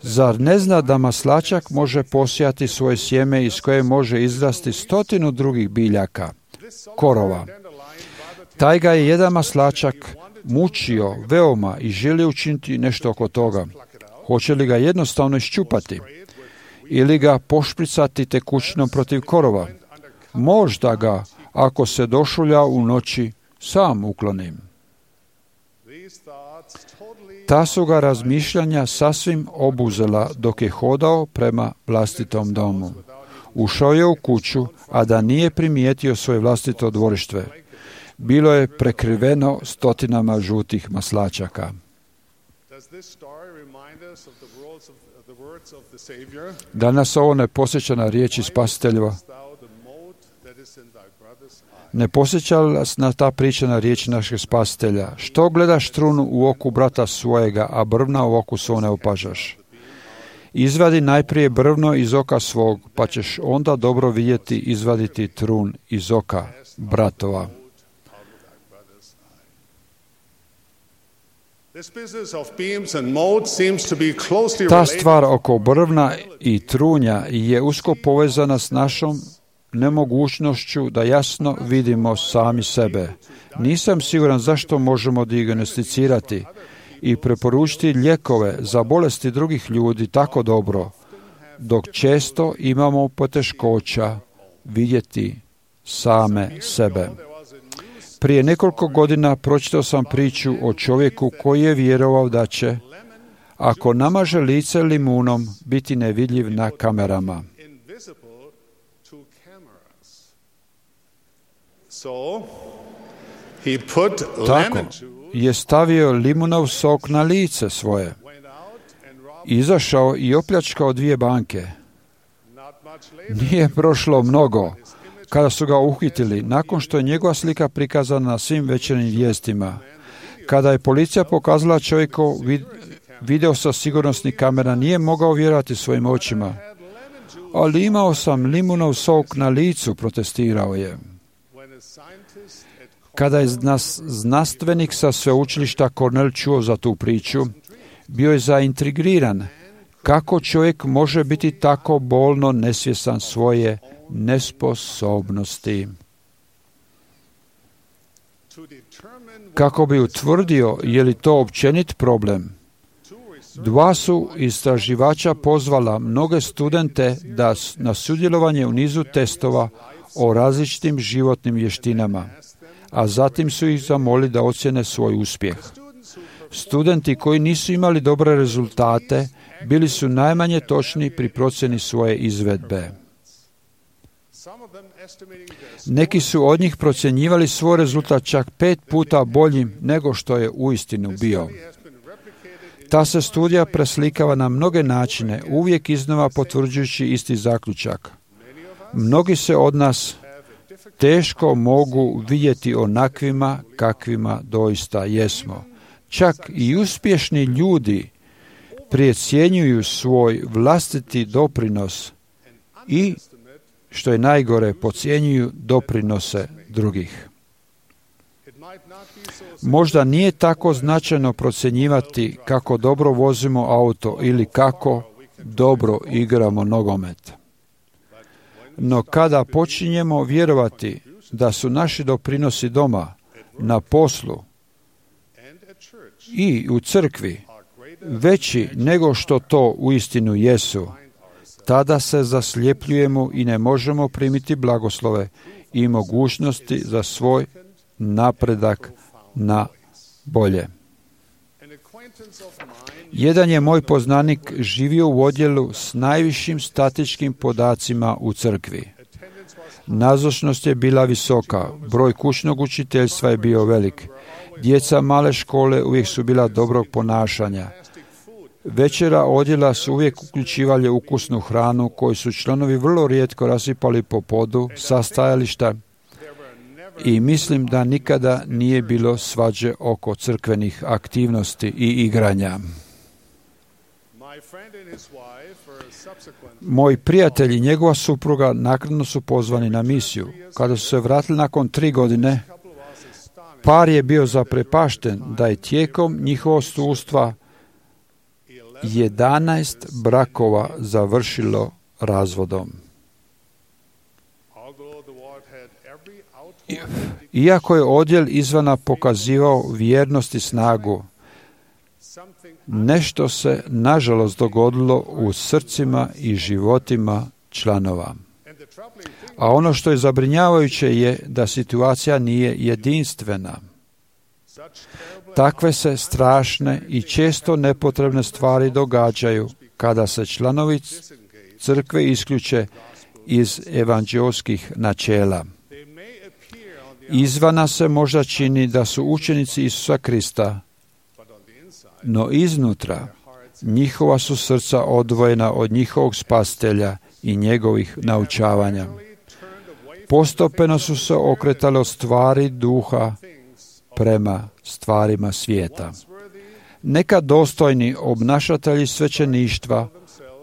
Zar ne zna da maslačak može posijati svoje sjeme iz koje može izrasti 100 drugih biljaka, korova? Taj ga je jedan maslačak mučio veoma i želi učiniti nešto oko toga. Hoće li ga jednostavno iščupati ili ga pošpricati tekućinom protiv korova? Možda ga, ako se došulja u noći, sam uklonim. Ta su ga razmišljanja sasvim obuzela dok je hodao prema vlastitom domu. Ušao je u kuću, a da nije primijetio svoje vlastito dvorište. Bilo je prekriveno 100 žutih maslačaka. Da nas ovo ne posjeća na riječi Spasiteljeva? Ne posjeća nas na ta priča na riječi našeg Spasitelja? Što gledaš trunu u oku brata svojega, a brvna u oku svog ne opažaš? Izvadi najprije brvno iz oka svog, pa ćeš onda dobro vidjeti izvaditi trun iz oka bratova. Ta stvar oko brvna i trunja je usko povezana s našom nemogućnošću da jasno vidimo sami sebe. Nisam siguran zašto možemo dijagnosticirati i preporučiti lijekove za bolesti drugih ljudi tako dobro, dok često imamo poteškoća vidjeti same sebe. Prije nekoliko godina pročitao sam priču o čovjeku koji je vjerovao da će, ako namaže lice limunom, biti nevidljiv na kamerama. Tako je stavio limunov sok na lice svoje, izašao i opljačkao 2 banke. Nije prošlo mnogo kada su ga uhitili, nakon što je njegova slika prikazana na svim večernjim vijestima. Kada je policija pokazala čovjeku video sa sigurnosnih kamera, nije mogao vjerovati svojim očima. Ali imao sam limunov sok na licu, protestirao je. Kada je znanstvenik sa sveučilišta Cornell čuo za tu priču, bio je zaintrigiran kako čovjek može biti tako bolno nesvjestan svoje nesposobnosti. Kako bi utvrdio je li to općenit problem, 2 su istraživača pozvala mnoge studente na sudjelovanje u nizu testova o različitim životnim vještinama, a zatim su ih zamolili da ocjene svoj uspjeh. Studenti koji nisu imali dobre rezultate bili su najmanje točni pri procjeni svoje izvedbe. Neki su od njih procjenjivali svoj rezultat čak 5 puta boljim nego što je uistinu bio. Ta se studija preslikava na mnoge načine, uvijek iznova potvrđujući isti zaključak. Mnogi se od nas teško mogu vidjeti onakvima kakvima doista jesmo. Čak i uspješni ljudi precjenjuju svoj vlastiti doprinos i, što je najgore, podcjenjuju doprinose drugih. Možda nije tako značajno procjenjivati kako dobro vozimo auto ili kako dobro igramo nogomet. No kada počinjemo vjerovati da su naši doprinosi doma, na poslu i u crkvi veći nego što to uistinu jesu, tada se zasljepljujemo i ne možemo primiti blagoslove i mogućnosti za svoj napredak na bolje. Jedan je moj poznanik živio u odjelu s najvišim statičkim podacima u crkvi. Nazočnost je bila visoka, broj kućnog učiteljstva je bio velik. Djeca male škole uvijek su bila dobrog ponašanja. Večera odjela su uvijek uključivali ukusnu hranu koju su članovi vrlo rijetko rasipali po podu sa stajališta i mislim da nikada nije bilo svađe oko crkvenih aktivnosti i igranja. Moj prijatelj i njegova supruga naknadno su pozvani na misiju. Kada su se vratili nakon 3 godine, par je bio zaprepašten da je tijekom njihovog sustva 11 brakova završilo razvodom. Iako je odjel izvana pokazivao vjernost i snagu, nešto se nažalost dogodilo u srcima i životima članova. A ono što je zabrinjavajuće je da situacija nije jedinstvena. Takve se strašne i često nepotrebne stvari događaju kada se članovi crkve isključe iz evanđeoskih načela. Izvana se možda čini da su učenici Isusa Krista, no iznutra njihova su srca odvojena od njihovog spasitelja i njegovih naučavanja. Postepeno su se okretali od stvari duha prema stvarima svijeta. Neka dostojni obnašatelji svećeništva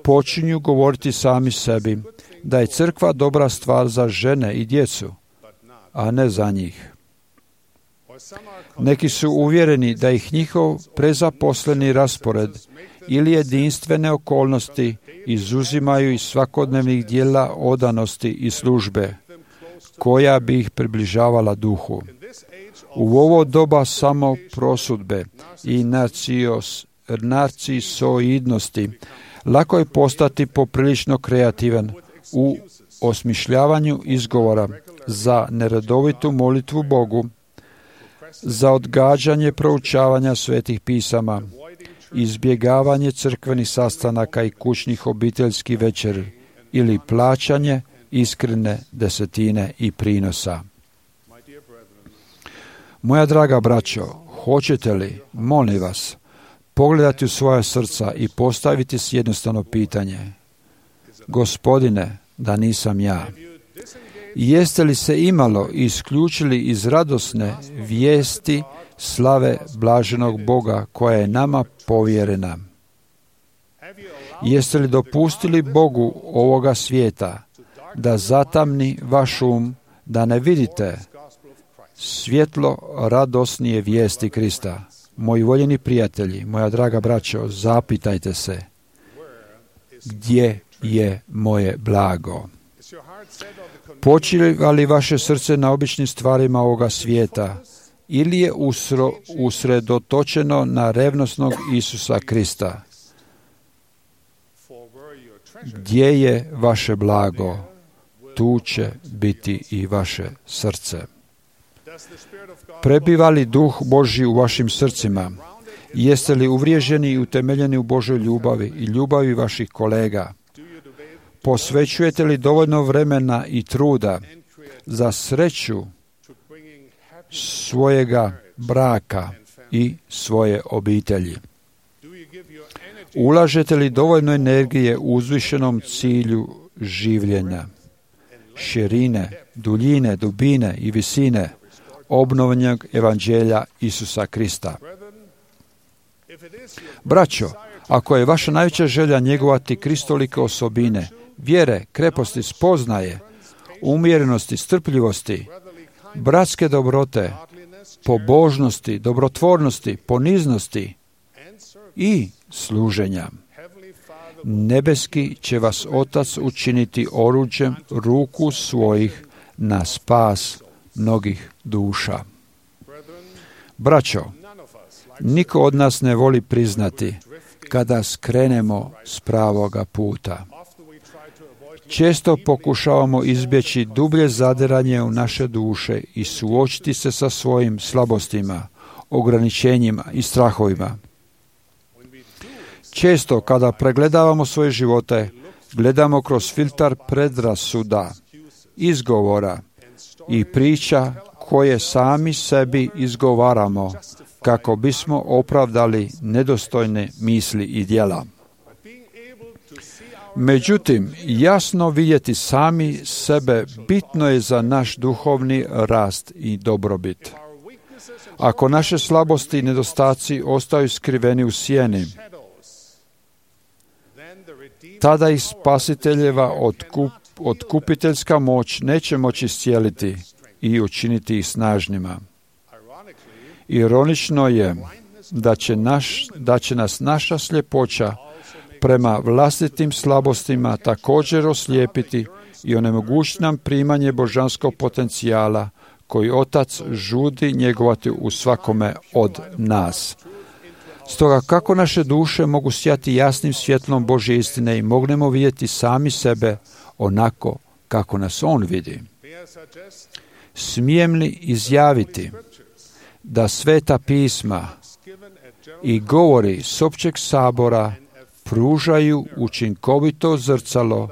počinju govoriti sami sebi da je crkva dobra stvar za žene i djecu, a ne za njih. Neki su uvjereni da ih njihov prezaposleni raspored ili jedinstvene okolnosti izuzimaju iz svakodnevnih dijela odanosti i službe, koja bi ih približavala duhu. U ovo doba samo prosudbe i narcisoidnosti lako je postati poprilično kreativan u osmišljavanju izgovora za neredovitu molitvu Bogu, za odgađanje proučavanja svetih pisama, izbjegavanje crkvenih sastanaka i kućnih obiteljskih večeri ili plaćanje iskrene desetine i prinosa. Moja draga braćo, hoćete li, molim vas, pogledati u svoja srca i postaviti si jednostavno pitanje: Gospodine, da nisam ja. Jeste li se imalo isključili iz radosne vijesti slave blaženog Boga koja je nama povjerena? Jeste li dopustili Bogu ovoga svijeta da zatamni vaš um, da ne vidite svjetlo radosnije vijesti Krista? Moji voljeni prijatelji, moja draga braćo, zapitajte se: gdje je moje blago? Počiva li vaše srce na običnim stvarima ovoga svijeta ili je usredotočeno na revnosnog Isusa Krista? Gdje je vaše blago, tu će biti i vaše srce. Prebiva li Duh Božji u vašim srcima? Jeste li uvriježeni i utemeljeni u Božoj ljubavi i ljubavi vaših kolega? Posvećujete li dovoljno vremena i truda za sreću svojega braka i svoje obitelji? Ulažete li dovoljno energije u uzvišenom cilju življenja, širine, duljine, dubine i visine obnovljenog evanđelja Isusa Krista? Braćo, ako je vaša najveća želja njegovati kristolike osobine, vjere, kreposti, spoznaje, umjerenosti, strpljivosti, bratske dobrote, pobožnosti, dobrotvornosti, poniznosti i služenja, nebeski će vas Otac učiniti oruđem ruku svojih na spas mnogih duša. Braćo, niko od nas ne voli priznati kada skrenemo s pravoga puta. Često pokušavamo izbjeći dublje zadiranje u naše duše i suočiti se sa svojim slabostima, ograničenjima i strahovima. Često kada pregledavamo svoje živote, gledamo kroz filtar predrasuda, izgovora i priča koje sami sebi izgovaramo kako bismo opravdali nedostojne misli i djela. Međutim, jasno vidjeti sami sebe bitno je za naš duhovni rast i dobrobit. Ako naše slabosti i nedostaci ostaju skriveni u sjeni, tada ih spasiteljeva otkupiteljska moć neće moći iscijeliti i učiniti ih snažnima. Ironično je da će nas naša sljepoća prema vlastitim slabostima također oslijepiti i onemogućiti nam primanje božanskog potencijala koji Otac žudi njegovati u svakome od nas. Stoga kako naše duše mogu sijati jasnim svjetlom Božje istine i mognemo vidjeti sami sebe onako kako nas On vidi? Smijem li izjaviti da Sveta pisma i govori s općeg sabora pružaju učinkovito zrcalo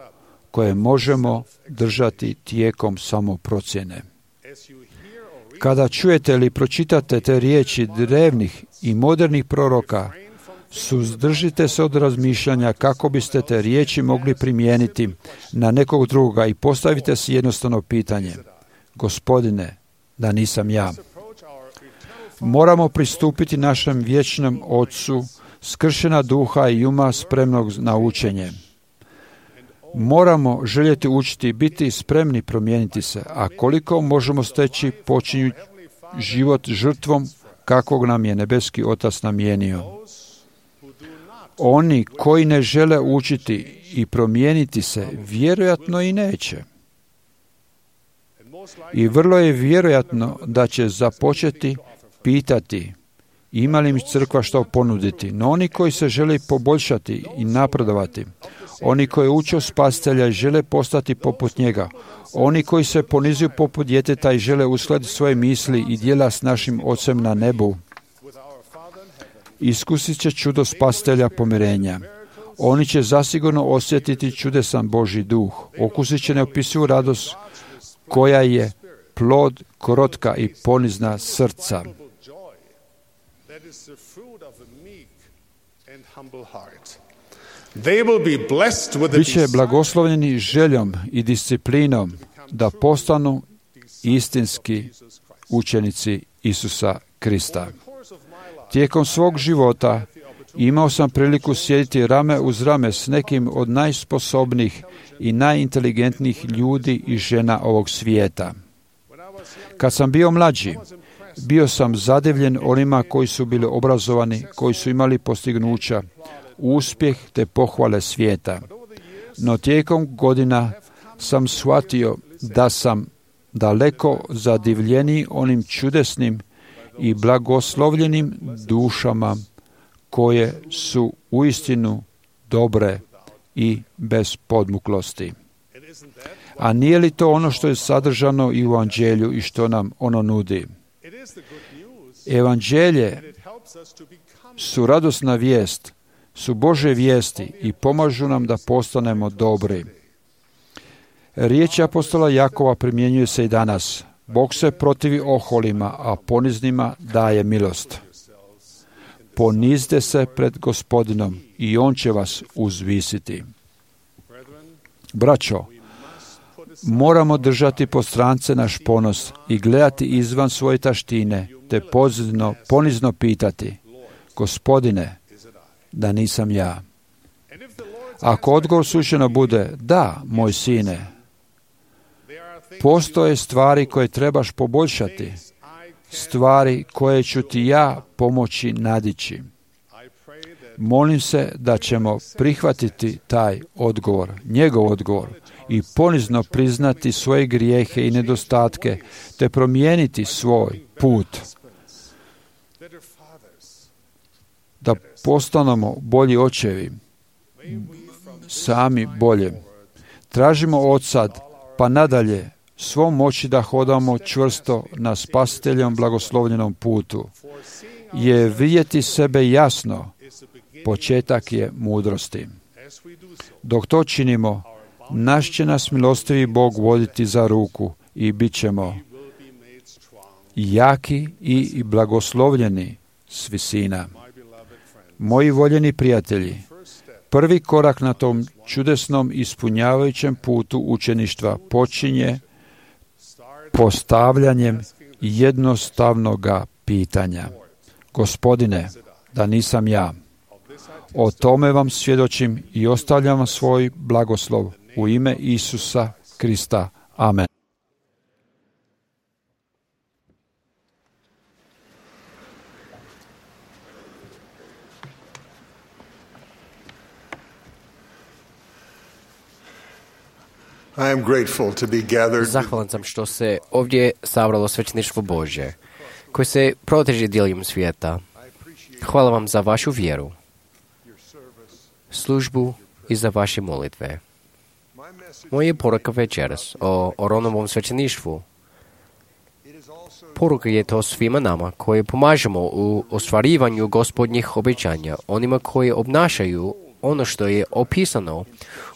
koje možemo držati tijekom samoprocjene? Kada čujete ili pročitate te riječi drevnih i modernih proroka, suzdržite se od razmišljanja kako biste te riječi mogli primijeniti na nekog drugoga i postavite si jednostavno pitanje: Gospodine, da nisam ja. Moramo pristupiti našem vječnom Ocu skršena duha i uma spremnog na učenje. Moramo željeti učiti i biti spremni promijeniti se, a koliko možemo steći počinju život žrtvom kakvog nam je nebeski Otac namijenio. Oni koji ne žele učiti i promijeniti se, vjerojatno i neće. I vrlo je vjerojatno da će započeti pitati: ima li mi crkva što ponuditi? No oni koji se žele poboljšati i napredovati, Oni koji uče spasitelja i žele postati poput njega. Oni koji se ponizuju poput djeteta i žele uskladiti svoje misli i djela s našim Ocem na nebu. Iskusit će čudo spasitelja pomirenja. Oni će zasigurno osjetiti čudesan Božji duh. Okusit će neopisivu radost koja je plod krotka i ponizna srca. Biće blagoslovljeni željom i disciplinom da postanu istinski učenici Isusa Krista. Tijekom svog života imao sam priliku sjediti rame uz rame s nekim od najsposobnijih i najinteligentnijih ljudi i žena ovog svijeta. Kad sam bio mlađi, bio sam zadivljen onima koji su bili obrazovani, koji su imali postignuća, uspjeh te pohvale svijeta. No tijekom godina sam shvatio da sam daleko zadivljeniji onim čudesnim i blagoslovljenim dušama koje su uistinu dobre i bez podmuklosti. A nije li to ono što je sadržano i u Evanđelju i što nam ono nudi? Evanđelje su radosna vijest, su Božje vijesti i pomažu nam da postanemo dobri. Riječ apostola Jakova primjenjuje se i danas. Bog se protivi oholima, a poniznima daje milost. Ponizite se pred Gospodinom i On će vas uzvisiti. Braćo, moramo držati po strance naš ponos i gledati izvan svoje taštine, te ponizno pitati, Gospodine, da nisam ja. Ako odgovor slučajno bude, da, moj sine, postoje stvari koje trebaš poboljšati, stvari koje ću ti ja pomoći nadići. Molim se da ćemo prihvatiti taj odgovor, njegov odgovor, i ponizno priznati svoje grijehe i nedostatke, te promijeniti svoj put. Da postanemo bolji očevi, sami bolje. Tražimo od sad, pa nadalje, svom moći da hodamo čvrsto na spasiteljom blagoslovljenom putu. Je vidjeti sebe jasno, početak je mudrosti. Dok to činimo, naš će nas milostivi Bog voditi za ruku i bit ćemo jaki i blagoslovljeni s visina. Moji voljeni prijatelji, prvi korak na tom čudesnom ispunjavajućem putu učeništva počinje postavljanjem jednostavnoga pitanja. Gospodine, da nisam ja. O tome vam svjedočim i ostavljam vam svoj blagoslov u ime Isusa Krista. Amen. I am grateful to be gathered. Zahvalan sam što se ovdje sabralo svećeništvo Božje, koje se proteže diljem svijeta. Hvala vam za vašu vjeru, službu i za vaše molitve. Moja poruka večeras o Oronovom svećeništvu. Poruka je to svima nama koji pomažemo u ostvarivanju Gospodnjih obećanja, onima koji obnašaju ono što je opisano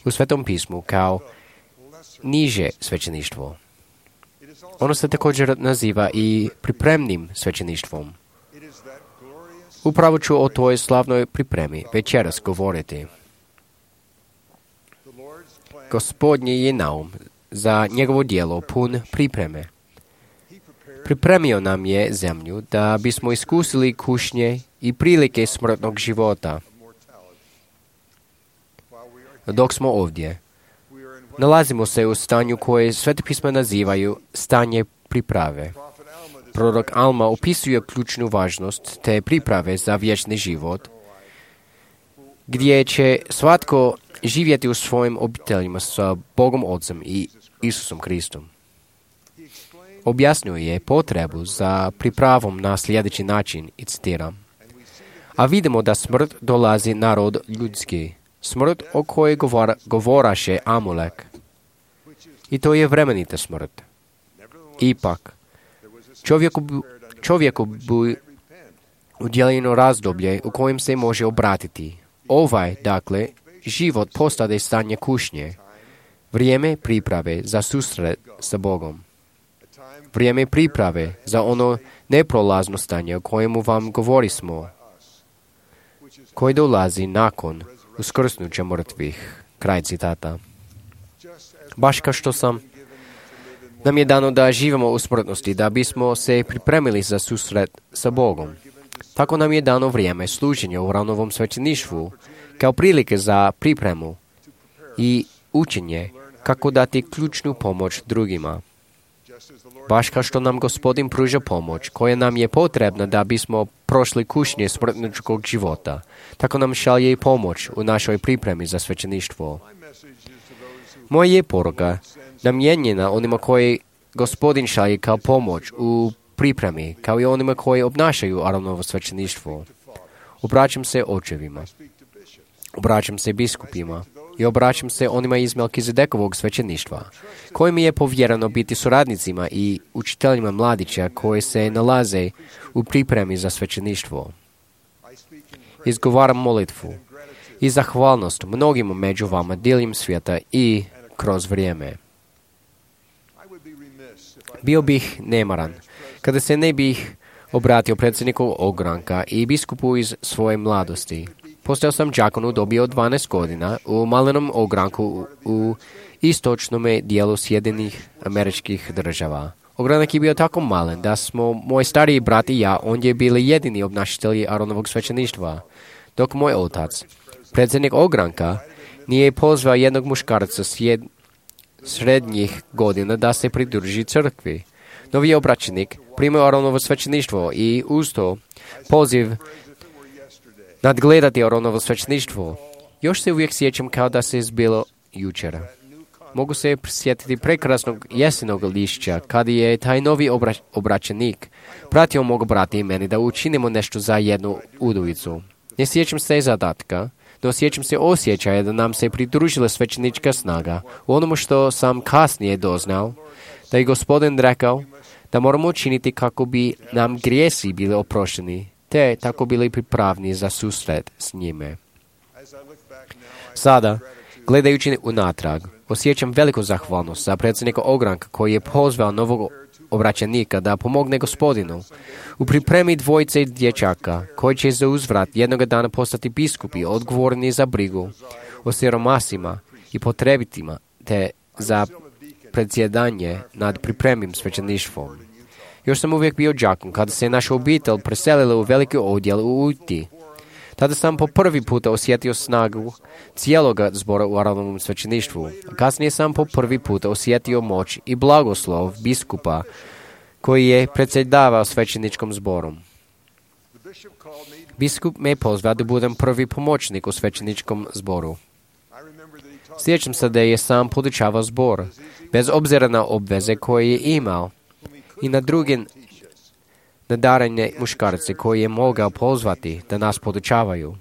u Svetom pismu kao niže svećeništvo. Ono se također naziva i pripremnim svećeništvom. Upravo ću o toj slavnoj pripremi večeras govoriti. Gospodnji je naum za njegovo djelo pun pripreme. Pripremio nam je zemlju da bismo iskusili kušnje i prilike smrtnog života. Dok smo ovdje, nalazimo se u stanju koje Sveta pisma nazivaju stanje priprave. Prorok Alma opisuje ključnu važnost te priprave za vječni život, gdje će svatko živjeti u svojim obiteljima sa Bogom Otcem i Isusom Kristom. Objasnjuje potrebu za pripravom na sljedeći način, i citiram: a vidimo da smrt dolazi na rod ljudski Smrt o kojoj govoraše Amulek. I to je vremenita smrt. Ipak, čovjeku bi udjeljeno razdoblje u kojem se može obratiti. Dakle, život postade stanje kušnje. Vrijeme priprave za susret sa Bogom. Vrijeme priprave za ono neprolazno stanje o kojemu vam govorismo, koji dolazi nakon uskrsnuća mrtvih. Kraj citata. Baš kao što nam je dano da živimo u smrtnosti, da bismo se pripremili za susret sa Bogom. Tako nam je dano vrijeme služenja u Aaronovom svećeništvu, kao prilike za pripremu i učenje kako dati ključnu pomoć drugima. Baš kao što nam Gospodin pruža pomoć koja nam je potrebna da bismo prošli kušnje smrtničkog života, tako nam šalje i pomoć u našoj pripremi za svećeništvo. Moja je poruka namijenjena onima koji Gospodin šalje kao pomoć u pripremi, kao i onima koji obnašaju Aaronovo svećeništvo. Obraćam se očevima, obraćam se biskupima i obraćam se onima iz Melkizedekovog svećeništva, kojim je povjereno biti suradnicima i učiteljima mladića koji se nalaze u pripremi za svećeništvo. Izgovaram molitvu i zahvalnost mnogima među vama diljem svijeta i kroz vrijeme. Bio bih nemaran kada se ne bih obratio predsjedniku ogranka i biskupu iz svoje mladosti. Postao sam đakon u dobi od 12 godina u malenom ogranku u istočnom dijelu Sjedinjenih Američkih Država. Ogranak je bio tako malen da smo moj stariji brat i ja ondje bili jedini obnašatelji Aaronovog svećeništva, dok moj otac, predsjednik ogranka, nije pozvao jednog muškarca srednjih godina da se pridruži crkvi. Novi obraćenik primio Aaronovo svećeništvo i uz to poziv nadgledati Aaronovo svećeništvo. Još se uvijek sjećam kao da se zbilo jučer. Mogu se prisjetiti prekrasnog jesenog lišća kada je taj novi obraćenik pratio mog brata i meni da učinimo nešto za jednu udovicu. Ne sjećam se zadatka, no sjećam se osjećaja da nam se pridružila svećenička snaga u onomu što sam kasnije doznao, da je Gospodin rekao da moramo učiniti kako bi nam grijesi bili oprošteni, te tako bili pripravni za susret s njime. Sada, gledajući unatrag, osjećam veliku zahvalnost za predsjednika ogranka koji je pozvao novog obraćenika da pomogne Gospodinu u pripremi dvojice dječaka koji će za uzvrat jednoga dana postati biskupi odgovorni za brigu o siromasima i potrebitima te za predsjedanje nad pripremim svećeništvom. Još sam uvijek bio đakon kada se naša obitelj preselila u veliki odjel u Uti. Tada sam po prvi puta osjetio snagu cijeloga zbora u Aaronovom svećeništvu. Kasnije sam po prvi puta osjetio moć i blagoslov biskupa koji je predsjedavao svećeničkom zborom. Biskup me pozvao da budem prvi pomoćnik u svećeničkom zboru. Sjećam se da je sam podučavao zbor, bez obzira na obveze koje je imao i na druge nadarene muškarce koje je mogao pozvati da nas podučavaju.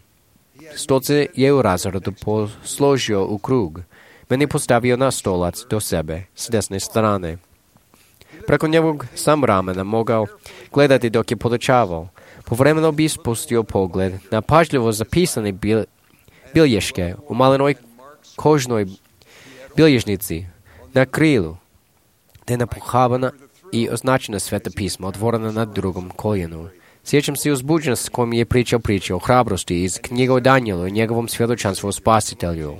Stolce je u razredu posložio u krug. Meni postavio na stolac do sebe, s desne strane. Preko njegovog sam ramena mogao gledati dok je podučavao. Povremeno bi spustio pogled na pažljivo zapisane bilješke u malenoj kožnoj bilježnici na krilu, te napuhavana i označena sveta pisma otvorena na drugom koljenu. Sjećam se uzbuđenost s kojom je pričao o hrabrosti iz knjige o Danijelu i njegovom svjedočanstvu o Spasitelju.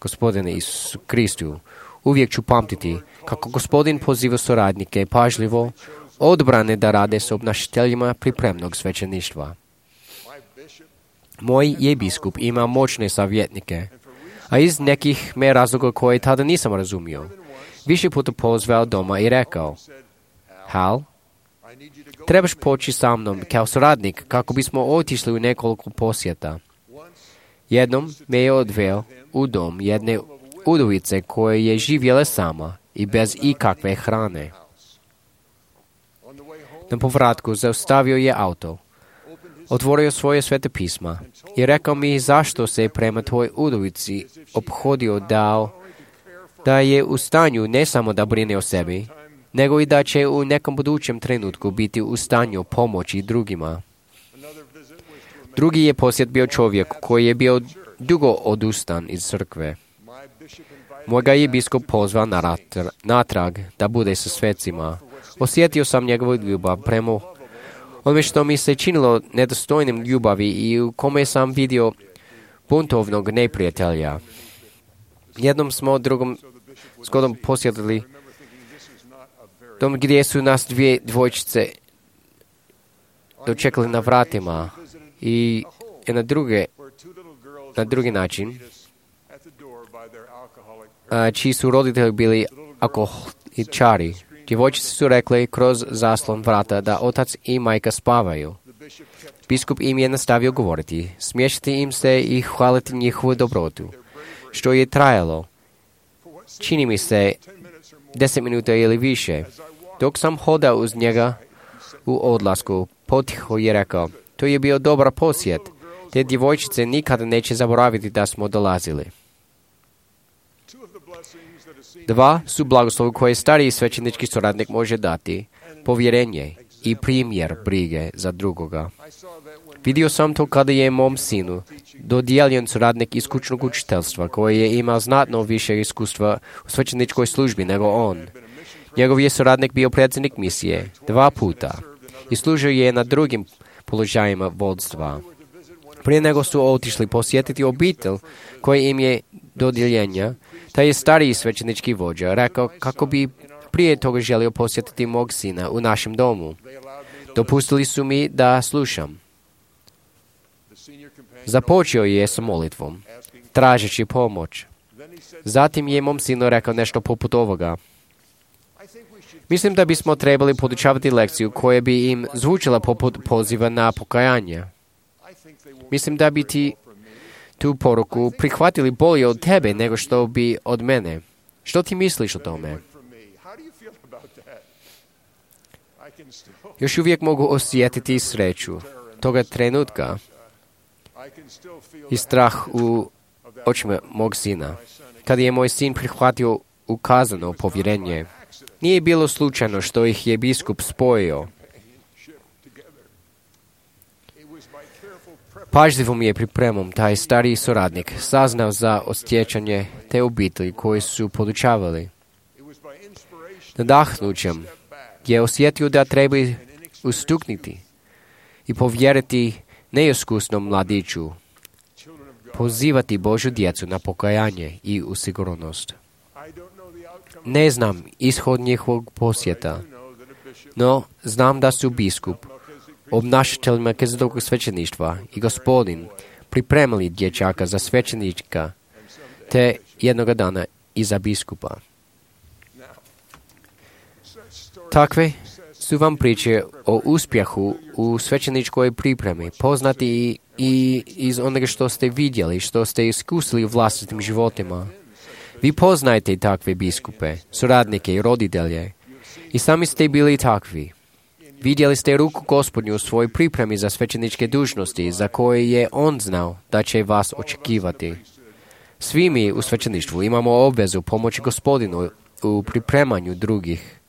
Gospodine Isusu Kristu, uvijek ću pamtiti kako Gospodin poziva suradnike pažljivo odbrane da rade s obnašateljima pripremnog svećeništva. Moj je biskup ima moćne savjetnike, a iz nekih me razloga koje tada nisam razumio, više puta pozvao doma i rekao: Hal, trebaš poći sa mnom kao suradnik kako bismo otišli u nekoliko posjeta. Jednom me je odveo u dom jedne udovice koja je živjela sama i bez ikakve hrane. Na povratku zaustavio je auto, otvorio svoje svete pisma i rekao mi zašto se prema tvoj udovici ophodio da je u stanju ne samo da brine o sebi, nego i da će u nekom budućem trenutku biti u stanju pomoći drugima. Drugi je posjet bio čovjek koji je bio dugo odustan iz crkve. Moj ga je biskup pozvao natrag da bude sa svecima. Osjetio sam njegovu ljubav prema onome što mi se činilo nedostojnim ljubavi i u kome sam vidio buntovnog neprijatelja. Jednom smo drugom zgodom posjetili dom gdje su nas dvije dvojčice dočekali na vratima i na drugi način čiji su roditelji bili alkoholičari. Djevojčice su rekli kroz zaslon vrata da otac i majka spavaju. Biskup im je nastavio govoriti, smiješiti im se i hvaliti njihovu dobrotu, što je trajalo. Čini mi se 10 minuta ili više. Dok sam hodao uz njega u odlasku, potiho je rekao, to je bio dobar posjet. Te djevojčice nikada neće zaboraviti da smo dolazili. Dva su blagoslovi koje stariji svećenički suradnik može dati, povjerenje i primjer brige za drugoga. Vidio sam to kada je mom sinu dodijeljen suradnik iz kućnog učiteljstva koji je imao znatno više iskustva u svećeničkoj službi nego on. Njegov je suradnik bio predsjednik misije 2 puta i služio je na drugim položajima vodstva. Prije nego su otišli posjetiti obitelj koji im je dodijeljenja, taj je stariji svećenički vođa rekao kako bi prije toga želio posjetiti mog sina u našem domu. Dopustili su mi da slušam. Započeo je sa molitvom, tražeći pomoć. Zatim je mom sinu rekao nešto poput ovoga. Mislim da bismo trebali podučavati lekciju koja bi im zvučila poput poziva na pokajanje. Mislim da bi ti tu poruku prihvatili bolje od tebe nego što bi od mene. Što ti misliš o tome? Još uvijek mogu osjetiti sreću toga trenutka i strah u očima mog sina. Kad je moj sin prihvatio ukazano povjerenje, nije bilo slučajno što ih je biskup spojio. Pažljivom je pripremom taj stariji suradnik saznao za osjećanje te obitelji koji su podučavali. Nadahnućem je osjetio da treba ustuknuti i povjeriti neiskusnom mladiću, pozivati Božju djecu na pokajanje i u sigurnost. Ne znam ishod njihovog posjeta, no znam da su biskup, obnašatelj Melkizedekog svećeništva i Gospodin pripremili dječaka za svećenika, te jednoga dana i za biskupa. Takve su vam priče o uspjehu u svećeničkoj pripremi, poznati i iz onoga što ste vidjeli, što ste iskusili u vlastitim životima. Vi poznajete takve biskupe, suradnike i roditelje i sami ste bili takvi. Vidjeli ste ruku Gospodnju u svojoj pripremi za svećeničke dužnosti za koje je On znao da će vas očekivati. Svi mi u svećeništvu imamo obvezu pomoći Gospodinu u pripremanju drugih.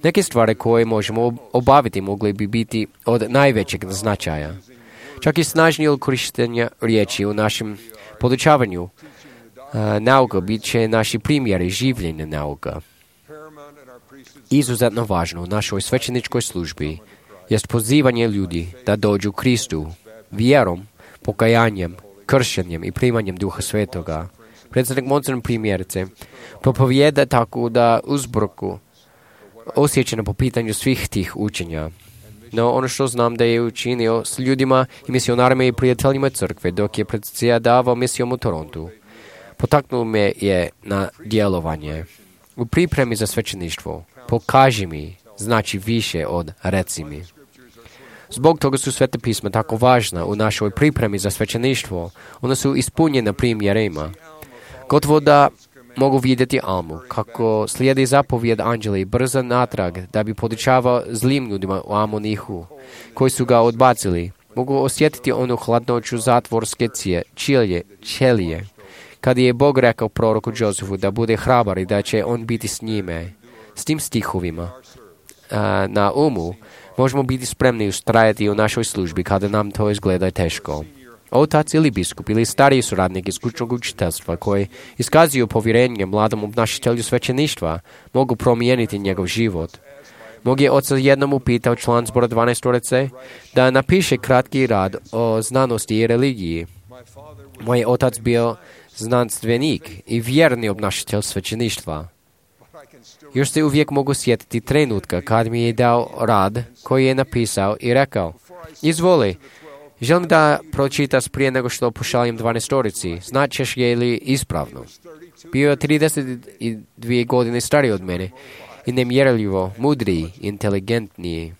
Neke stvari koje možemo obaviti mogli bi biti od najvećeg značaja. Čak i snažnije korištenja riječi u našem podučavanju nauka bit će naši primjeri življenja nauka. Izuzetno važno u našoj svećeničkoj službi jest pozivanje ljudi da dođu Kristu vjerom, pokajanjem, kršenjem i primanjem Duha Svetoga. Predsjednik Monson primjerice propovijeda tako da uzbroku osjećano po pitanju svih tih učenja. No ono što znam da je učinio s ljudima i misionarima i prijateljima crkve dok je predsjedavao misijom u Torontu, potaknuo me je na djelovanje. U pripremi za svećeništvo pokaži mi znači više od reci mi. Zbog toga su sveta pisma tako važna u našoj pripremi za svećeništvo. Ona su ispunjena primjerima. Gotovo da mogu vidjeti Almu, kako slijedi zapovjed anđela i brza natrag da bi podučavao zlim ljudima u Amonihu, koji su ga odbacili. Mogu osjetiti onu hladnoću zatvorske ćelije. Kad je Bog rekao proroku Josefu da bude hrabar i da će on biti s njime, s tim stihovima na umu, možemo biti spremni ustrajati u našoj službi kada nam to izgleda teško. Otac ili biskup ili stariji suradnik iz kućnog učiteljstva koji iskazuju povjerenje mladom obnašatelju svećeništva mogu promijeniti njegov život. Mog je oca jednom upitao član zbora 12 da napiše kratki rad o znanosti i religiji. Moj je otac bio znanstvenik i vjerni obnašatelj svećeništva. Još se uvijek mogu sjetiti trenutka kad mi je dao rad koji je napisao i rekao: izvoli, želim da pročitaš prije nego što pošaljem 12. Značeš je li ispravno? Bio je 32 godine stariji od mene i nemjerljivo mudriji, inteligentniji.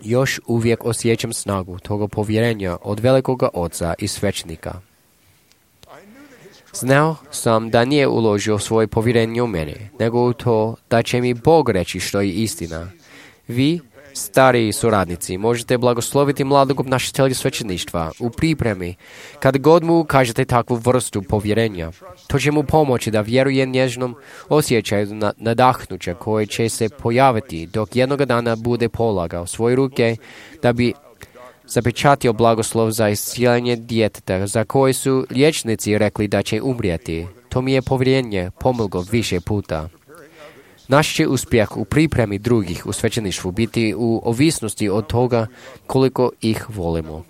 Još uvijek osjećam snagu toga povjerenja od velikoga oca i svećnika. Znao sam da nije uložio svoje povjerenje u mene, nego u to da će mi Bog reći što je istina. Vi, stariji suradnici, možete blagosloviti mladog obnašatelja svećeništva u pripremi kad god mu kažete takvu vrstu povjerenja. To će mu pomoći da vjeruje nježnom osjećaju nadahnuća koje će se pojaviti dok jednoga dana bude polagao svoje ruke da bi zapečatio blagoslov za iscijeljenje djeteta za koje su liječnici rekli da će umrijeti. To mi je povjerenje pomoglo više puta. Naš će uspjeh u pripremi drugih u svećeništvu biti u ovisnosti od toga koliko ih volimo.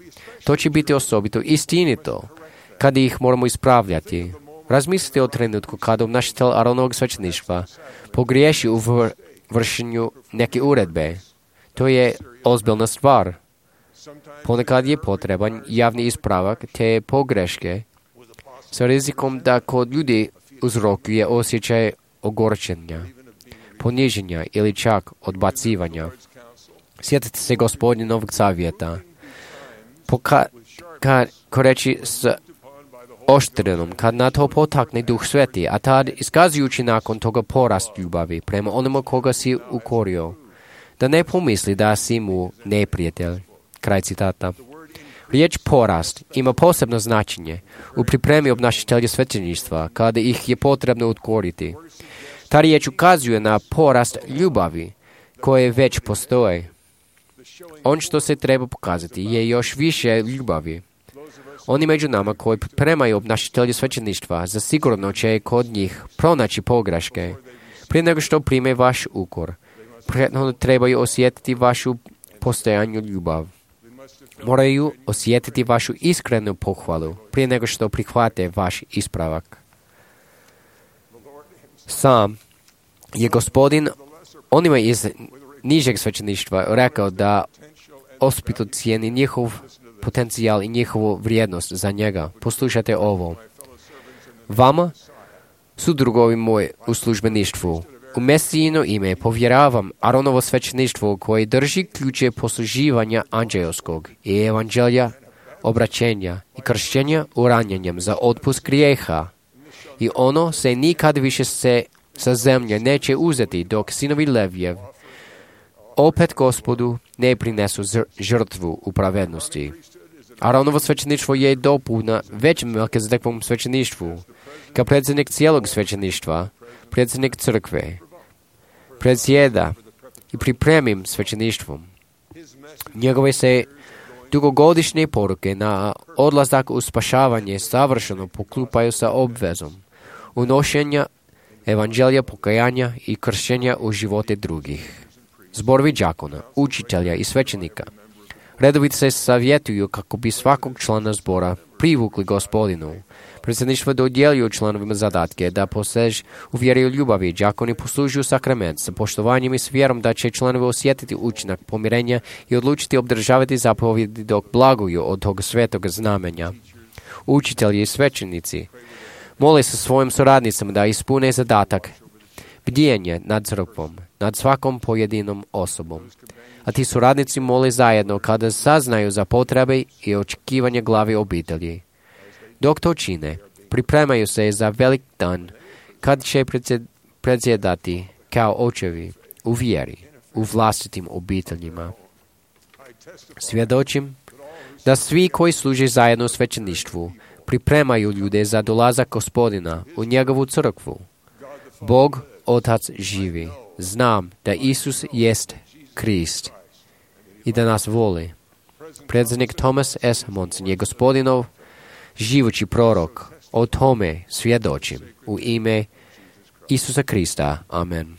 To će biti osobito istinito kad ih moramo ispravljati. Razmislite o trenutku kada obnašatelj Aronovog svećeništva pogriješi u vršenju neke uredbe. To je ozbiljna stvar. Ponekad je potreban javni ispravak te pogreške sa rizikom da kod ljudi uzrokuje osjećaj ogorčenja, poniženja ili čak odbacivanja. Sjetite se Gospodnjeg savjeta. Koreći s oštrenom, kad na to potakne Duh Sveti, a tad iskazujući nakon toga porast ljubavi prema onome koga si ukorio, da ne pomisli da si mu neprijatelj. Kraj citata. Riječ porast ima posebno značenje u pripremi obnašatelja svećeništva kada ih je potrebno ukoriti. Ta riječ ukazuje na porast ljubavi koje već postoje. On što se treba pokazati je još više ljubavi. Oni među nama koji pripremaju obnašatelja svećeništva zasigurno će kod njih pronaći pogreške. Prije nego što prime vaš ukor, prethodno trebaju osjetiti vašu postojanju ljubav. Moraju osjetiti vašu iskrenu pohvalu prije nego što prihvate vaš ispravak. Sam je Gospodin onima iz nižeg svećeništva rekao da ospito cijeni njihov potencijal i njihovu vrijednost za njega. Poslušajte ovo. Vama su drugovi moji u službeništvu. U Mesijino ime povjeravam Aronovo svećeništvo koje drži ključe posluživanja anđelskog i evanđelja, obraćenja i kršćenja uranjenjem za otpust grijeha. I ono se nikad više sa zemlje neće uzeti dok sinovi Levijev opet Gospodu ne prinesu žrtvu u pravednosti. Aronovo svećeništvo je dopuna većem Melkizedekovom svećeništvu. Kao predsjednik cijelog svećeništva, predsjednik crkve, predsjeda i pripremim svećeništvom. Njegove se dugogodišnje poruke na odlazak u spašavanje savršeno poklupaju sa obvezom unošenja evanđelja pokajanja i kršćenja u živote drugih. Zborovi đakona, učitelja i svećenika redovito se savjetuju kako bi svakog člana zbora privukli Gospodinu. Predsjedništvo dodjeljuju članovima zadatke da posež u vjeri i ljubavi. Đakoni poslužuju sakrament sa poštovanjem i s vjerom da će članovi osjetiti učinak pomirenja i odlučiti obdržavati zapovjedi dok blaguju od tog svetog znamenja. Učitelji i svećenici mole sa svojim suradnicama da ispune zadatak bdijenje nad crkvom, nad svakom pojedinom osobom. A ti suradnici mole zajedno kada saznaju za potrebe i očekivanje glavi obitelji. Dok to čine, pripremaju se za velik dan kad će predsjedati kao očevi u vjeri, u vlastitim obiteljima. Svjedočim da svi koji služe zajedno u svećeništvu pripremaju ljude za dolazak Gospodina u njegovu crkvu. Bog, Otac živi. Znam da Isus jest Krist i da nas voli. Predsjednik Thomas S. Monson je Gospodinov živući prorok. O tome svjedočim u ime Isusa Krista. Amen.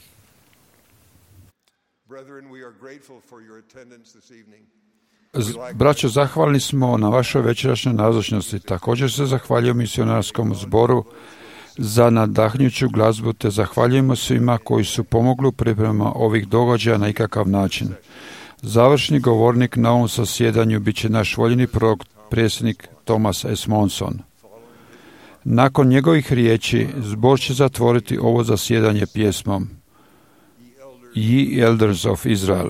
Braćo, zahvalni smo na vašoj večerašnjoj nazočnosti. Također se zahvaljujem misionarskom zboru za nadahnjuću glazbu, te zahvaljujemo svima koji su pomogli u pripremama ovih događaja na ikakav način. Završni govornik na ovom zasjedanju bit će naš voljeni prorok, predsjednik Thomas S. Monson. Nakon njegovih riječi, zbor će zatvoriti ovo zasjedanje pjesmom Ye Elders of Israel.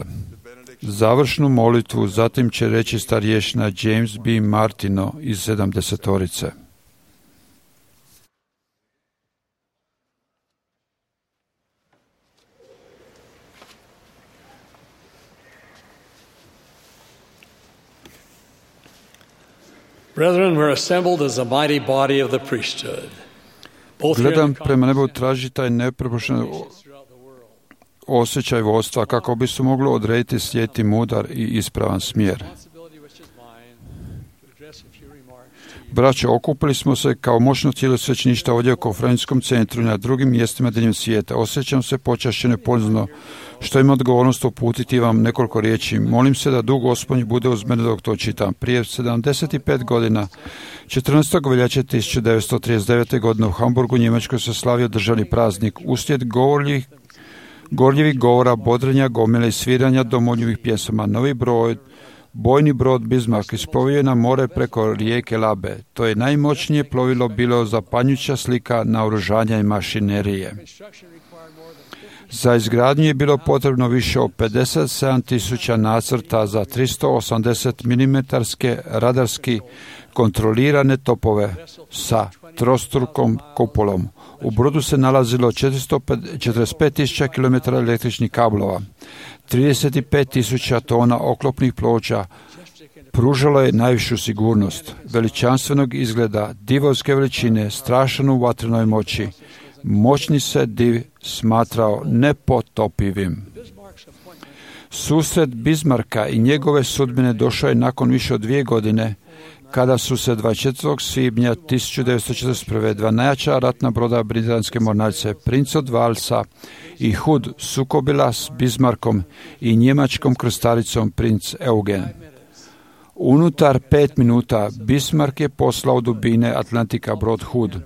Završnu molitvu zatim će reći starješina James B. Martino iz 70-orice. Brethren, we're assembled as a mighty body of the priesthood. Gledam prema nebu, traži taj neprepošten osjećaj vodstva kako bi se moglo odrediti slijeti mudar i ispravan smjer. Braćo, okupili smo se kao moćno tijelo svećeništva ovdje u konferencijskom centru i na drugim mjestima diljem svijeta. Osjećam se počašćeno i ponizno što imam odgovornost uputiti vam nekoliko riječi. Molim se da Duh Gospodnji bude uz mene dok to čitam. Prije 75 godina, 14. veljače 1939. godine u Hamburgu, Njemačkoj, se slavio državni praznik. Uslijed gorljivih govora, bodrenja, gomile i sviranja domoljubih pjesama, novi bojni brod Bismarck isplovio je na more preko rijeke Labe. To je najmoćnije plovilo bilo zapanjujuća slika naoružanja i mašinerije. Za izgradnju je bilo potrebno više od 57.000 nacrta za 380 mm radarski kontrolirane topove sa trostrukom kupolom. U brodu se nalazilo 45.000 km električnih kablova, 35.000 tona oklopnih ploča. Pružalo je najvišu sigurnost, veličanstvenog izgleda, divovske veličine, strašan u vatrenoj moći. Moćni se div smatrao nepotopivim. Susret Bismarcka i njegove sudbine došao je nakon više od 2 godine, kada su se 24. svibnja 1941. dva najjača ratna broda britanske mornarice, Prince od Walesa i Hood, sukobila s Bismarckom i njemačkom krstaricom Prince Eugen. Unutar 5 minuta Bismarck je poslao u dubine Atlantika brod Hood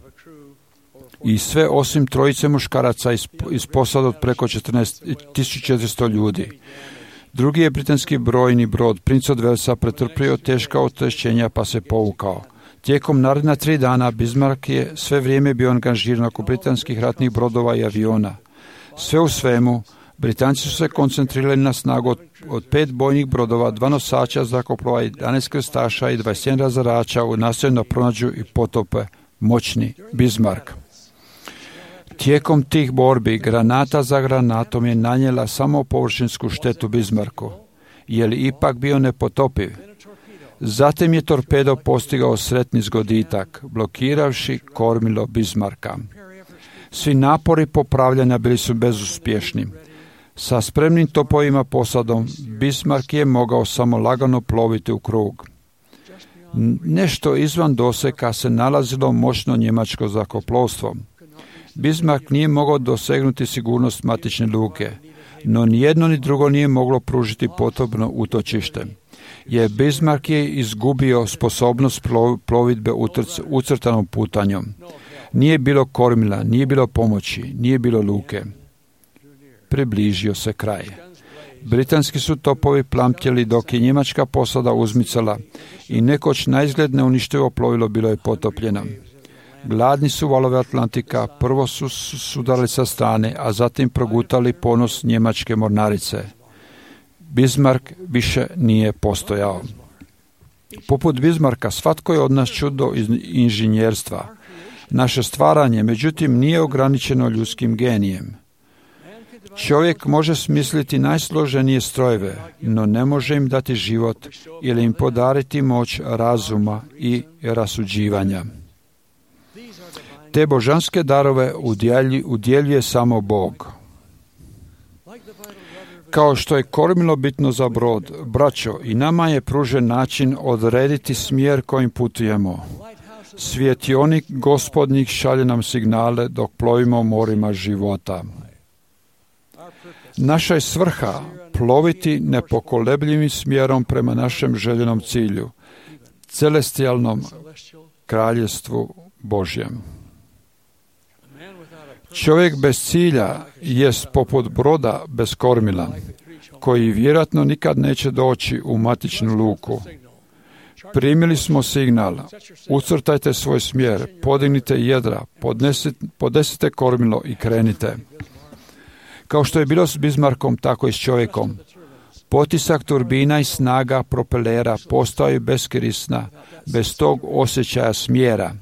i sve osim trojice muškaraca iz posada od preko 14.400 ljudi. Drugi je britanski brojni brod Prince od Walesa pretrpio teška oštećenja pa se povukao. Tijekom naredna 3 dana Bismarck je sve vrijeme bio angažiran oko britanskih ratnih brodova i aviona. Sve u svemu, Britanci su se koncentrirali na snagu od 5 bojnih brodova, 2 nosača zrakoplova, 11 krstaša i 21 razarača u nastojanju da pronađu i potope moćni Bismarck. Tijekom tih borbi granata za granatom je nanijela samo površinsku štetu Bismarcku, je li ipak bio nepotopiv. Zatim je torpedo postigao sretni zgoditak, blokiravši kormilo Bismarcka. Svi napori popravljanja bili su bezuspješni. Sa spremnim topovima posadom Bismarck je mogao samo lagano ploviti u krug. Nešto izvan doseka se nalazilo moćno njemačko zrakoplovstvo. Bismarck nije mogao dosegnuti sigurnost matične luke, no ni jedno ni drugo nije moglo pružiti potrebno utočište. Jer Bismarck je izgubio sposobnost plovidbe ucrtanom putanjom. Nije bilo kormila, nije bilo pomoći, nije bilo luke. Približio se kraj. Britanski su topovi plamtjeli dok je njemačka posada uzmicala i nekoć naizgled neuništivo plovilo bilo je potopljeno. Gladni su valove Atlantika prvo su sudarili sa strane, a zatim progutali ponos njemačke mornarice. Bismarck više nije postojao. Poput Bismarcka, svatko je od nas čudo inženjerstva. Naše stvaranje, međutim, nije ograničeno ljudskim genijem. Čovjek može smisliti najsloženije strojeve, no ne može im dati život ili im podariti moć razuma i rasuđivanja. Te božanske darove udjeljuje samo Bog. Kao što je kormilo bitno za brod, braćo, i nama je pružen način odrediti smjer kojim putujemo. Svjetionik Gospodnjih šalje nam signale dok plovimo morima života. Naša je svrha ploviti nepokolebljivim smjerom prema našem željenom cilju, celestijalnom kraljevstvu Božjem. Čovjek bez cilja jest poput broda bez kormila, koji vjerojatno nikad neće doći u matičnu luku. Primili smo signal, ucrtajte svoj smjer, podignite jedra, podesite kormilo i krenite. Kao što je bilo s Bismarckom, tako i s čovjekom. Potisak turbina i snaga propelera postaju beskorisna bez tog osjećaja smjera,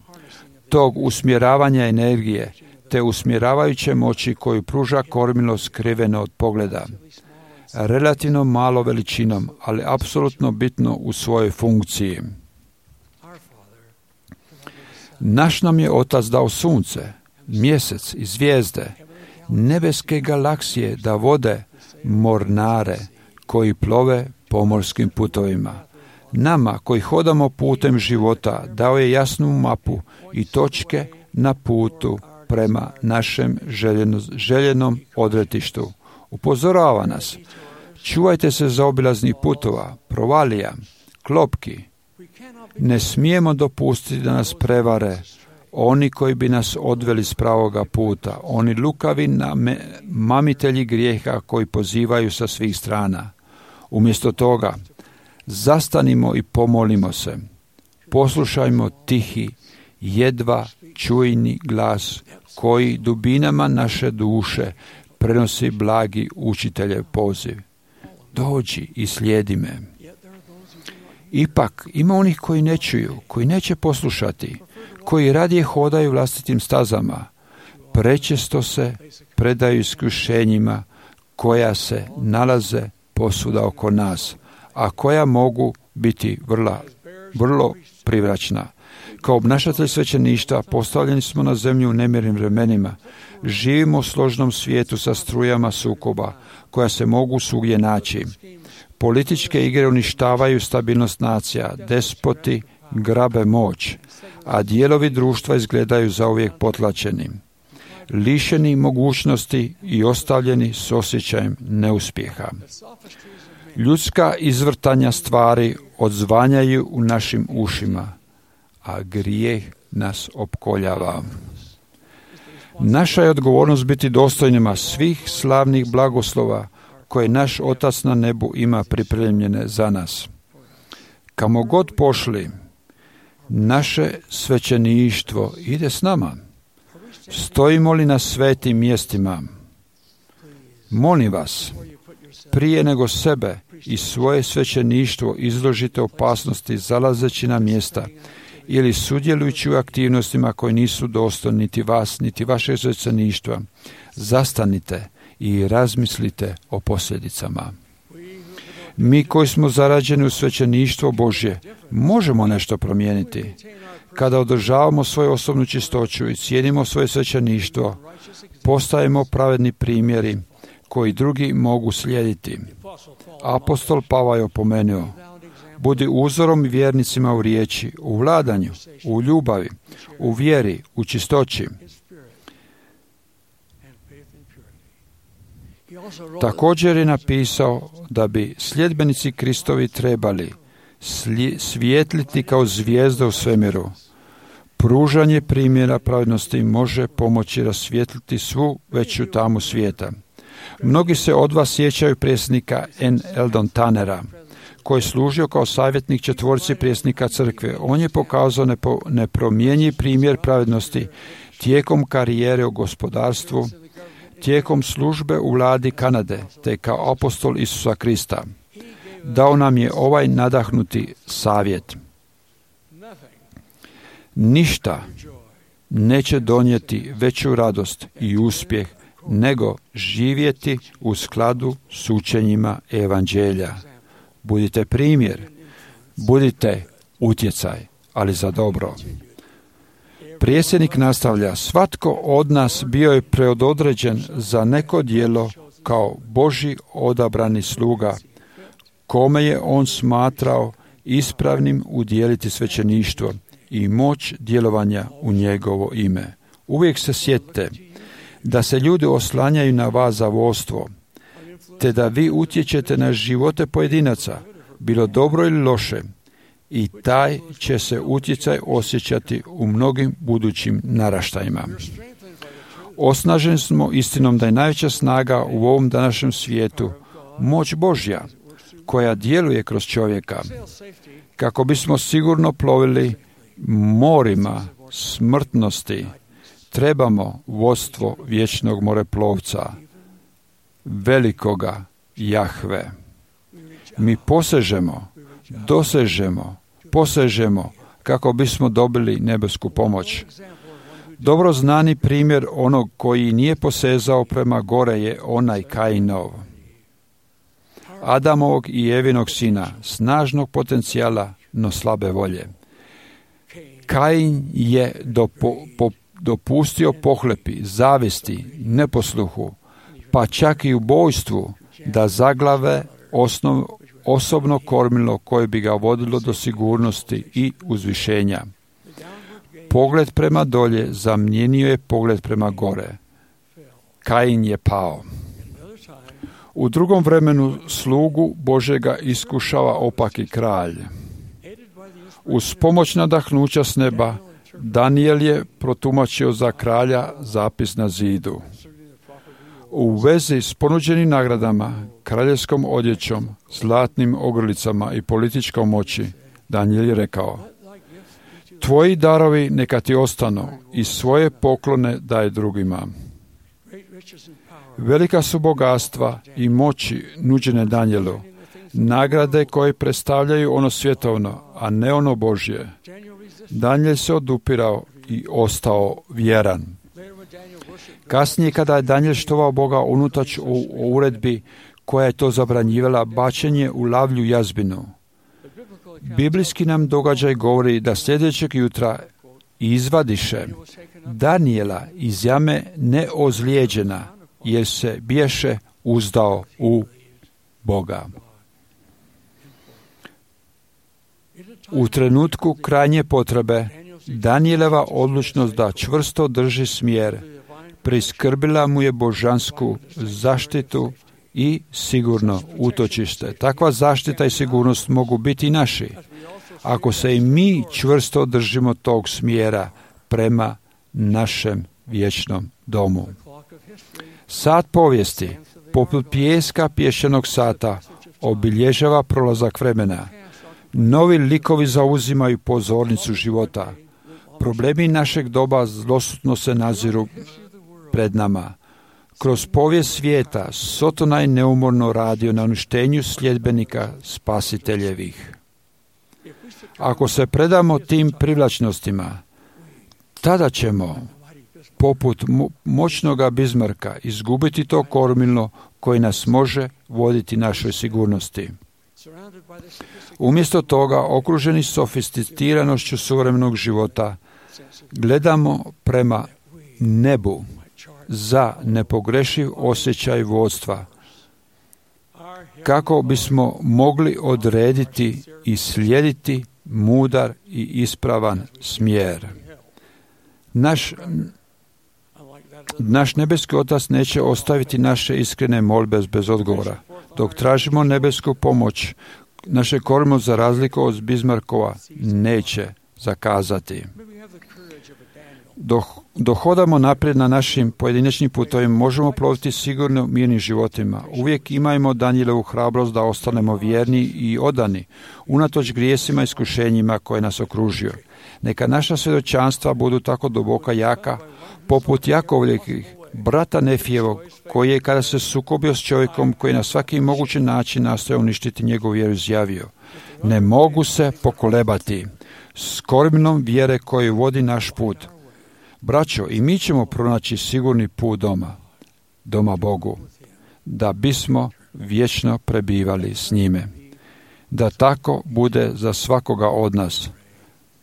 tog usmjeravanja energije, te usmjeravajuće moći koju pruža kormilo skriveno od pogleda. Relativno malo veličinom, ali apsolutno bitno u svojoj funkciji. Naš nam je Otac dao sunce, mjesec i zvijezde, nebeske galaksije da vode mornare koji plove pomorskim putovima. Nama koji hodamo putem života dao je jasnu mapu i točke na putu prema našem željenom odretištu. Upozorava nas, čuvajte se zaobilaznih putova, provalija, klopki. Ne smijemo dopustiti da nas prevare oni koji bi nas odveli s pravoga puta, oni lukavi mamitelji grijeha koji pozivaju sa svih strana. Umjesto toga, zastanimo i pomolimo se. Poslušajmo tihi, jedva čujni glas koji dubinama naše duše prenosi blagi učiteljev poziv. Dođi i slijedi me. Ipak ima onih koji ne čuju, koji neće poslušati, koji radije hodaju vlastitim stazama. Prečesto se predaju iskušenjima koja se nalaze posvuda oko nas, a koja mogu biti vrlo privlačna. Kao obnašatelj svećeništva postavljeni smo na zemlju u nemirnim vremenima. Živimo u složnom svijetu sa strujama sukoba koja se mogu svugdje naći. Političke igre uništavaju stabilnost nacija, despoti grabe moć, a dijelovi društva izgledaju zauvijek potlačeni, lišeni mogućnosti i ostavljeni s osjećajem neuspjeha. Ljudska izvrtanja stvari odzvanjaju u našim ušima, a grijeh nas opkoljava. Naša je odgovornost biti dostojnima svih slavnih blagoslova koje naš Otac na nebu ima pripremljene za nas. Kamo god pošli, naše svećeništvo ide s nama. Stojimo li na svetim mjestima? Molim vas, prije nego sebe i svoje svećeništvo izložite opasnosti zalazeći na mjesta ili sudjelujući u aktivnostima koje nisu dostojne niti vas, niti vašeg svećeništva, zastanite i razmislite o posljedicama. Mi koji smo zarađeni u svećeništvo Božje, možemo nešto promijeniti. Kada održavamo svoju osobnu čistoću i cijenimo svoje svećeništvo, postajemo pravedni primjeri koji drugi mogu slijediti. Apostol Pavao je opomenuo, budi uzorom vjernicima u riječi, u vladanju, u ljubavi, u vjeri, u čistoći. Također je napisao da bi sljedbenici Kristovi trebali svijetliti kao zvijezda u svemiru. Pružanje primjera pravednosti može pomoći rasvijetliti svu veću tamu svijeta. Mnogi se od vas sjećaju predsjednika N. Eldon Tannera, koji je služio kao savjetnik četvorci predsjednika crkve. On je pokazao nepromjenjiv primjer pravednosti tijekom karijere u gospodarstvu, tijekom službe u vladi Kanade, te kao apostol Isusa Krista. Dao nam je ovaj nadahnuti savjet. Ništa neće donijeti veću radost i uspjeh nego živjeti u skladu s učenjima evanđelja. Budite primjer, budite utjecaj, ali za dobro. Predsjednik nastavlja, svatko od nas bio je predodređen za neko djelo kao Božji odabrani sluga, kome je on smatrao ispravnim udjeliti svećeništvo i moć djelovanja u njegovo ime. Uvijek se sjetite da se ljudi oslanjaju na vas za vodstvo, te da vi utječete na živote pojedinaca, bilo dobro ili loše, i taj će se utjecaj osjećati u mnogim budućim naraštajima. Osnaženi smo istinom da je najveća snaga u ovom današnjem svijetu moć Božja, koja djeluje kroz čovjeka, kako bismo sigurno plovili morima smrtnosti. Trebamo vodstvo vječnog moreplovca, velikoga Jahve. Mi posežemo kako bismo dobili nebesku pomoć. Dobro znani primjer onog koji nije posezao prema gore je onaj Kainov, Adamovog i Evinog sina, snažnog potencijala, no slabe volje. Kain je dopustio pohlepi, zavisti, neposluhu, pa čak i ubojstvu da zaglave osobno kormilo koje bi ga vodilo do sigurnosti i uzvišenja. Pogled prema dolje zamijenio je pogled prema gore. Kain je pao. U drugom vremenu slugu Božega iskušava opaki kralj. Uz pomoć nadahnuća s neba, Danijel je protumačio za kralja zapis na zidu. U vezi s ponuđenim nagradama, kraljevskom odjećom, zlatnim ogrlicama i političkom moći, Danijel je rekao: tvoji darovi neka ti ostanu i svoje poklone daj drugima. Velika su bogatstva i moći nuđene Danijelu, nagrade koje predstavljaju ono svjetovno, a ne ono Božje. Danijel se odupirao i ostao vjeran. Kasnije, kada je Danijel štovao Boga unutač u uredbi koja je to zabranjivala, bačenje u lavlju jazbinu, biblijski nam događaj govori da sljedećeg jutra izvadiše Danijela iz jame neozlijeđena, jer se biješe uzdao u Boga. U trenutku krajnje potrebe, Danijeleva odlučnost da čvrsto drži smjer priskrbila mu je božansku zaštitu i sigurno utočište. Takva zaštita i sigurnost mogu biti i naši, ako se i mi čvrsto držimo tog smjera prema našem vječnom domu. Sat povijesti, poput pijeska pješčanog sata, obilježava prolazak vremena. Novi likovi zauzimaju pozornicu života. Problemi našeg doba zlosutno se naziru pred nama. Kroz povijest svijeta Sotona je neumorno radio na uništenju sljedbenika spasiteljevih. Ako se predamo tim privlačnostima, tada ćemo, poput moćnoga Bizmarka, izgubiti to kormilo koje nas može voditi našoj sigurnosti. Umjesto toga, okruženi sofisticiranošću suvremenog života, gledamo prema nebu za nepogrešiv osjećaj vodstva, kako bismo mogli odrediti i slijediti mudar i ispravan smjer. Naš nebeski Otac neće ostaviti naše iskrene molbe bez odgovora. Dok tražimo nebesku pomoć, naše kormilo, za razliku od Bizmarkova, neće zakazati. Dok hodamo naprijed na našim pojedinačnim putovima, možemo ploviti sigurno mirnim životima. Uvijek imajmo Danijelovu hrabrost da ostanemo vjerni i odani, unatoč grijesima i iskušenjima koje nas okružuju. Neka naša svjedočanstva budu tako duboka jaka, poput Jakovljevih brata Nefijevog, koji je, kada se sukobio s čovjekom koji na svaki mogući način nastoje uništiti njegovu vjeru, izjavio: ne mogu se pokolebati s kormilom vjere koji vodi naš put. Braćo, i mi ćemo pronaći sigurni put doma. doma Bogu, da bismo vječno prebivali s njime. Da tako bude za svakoga od nas.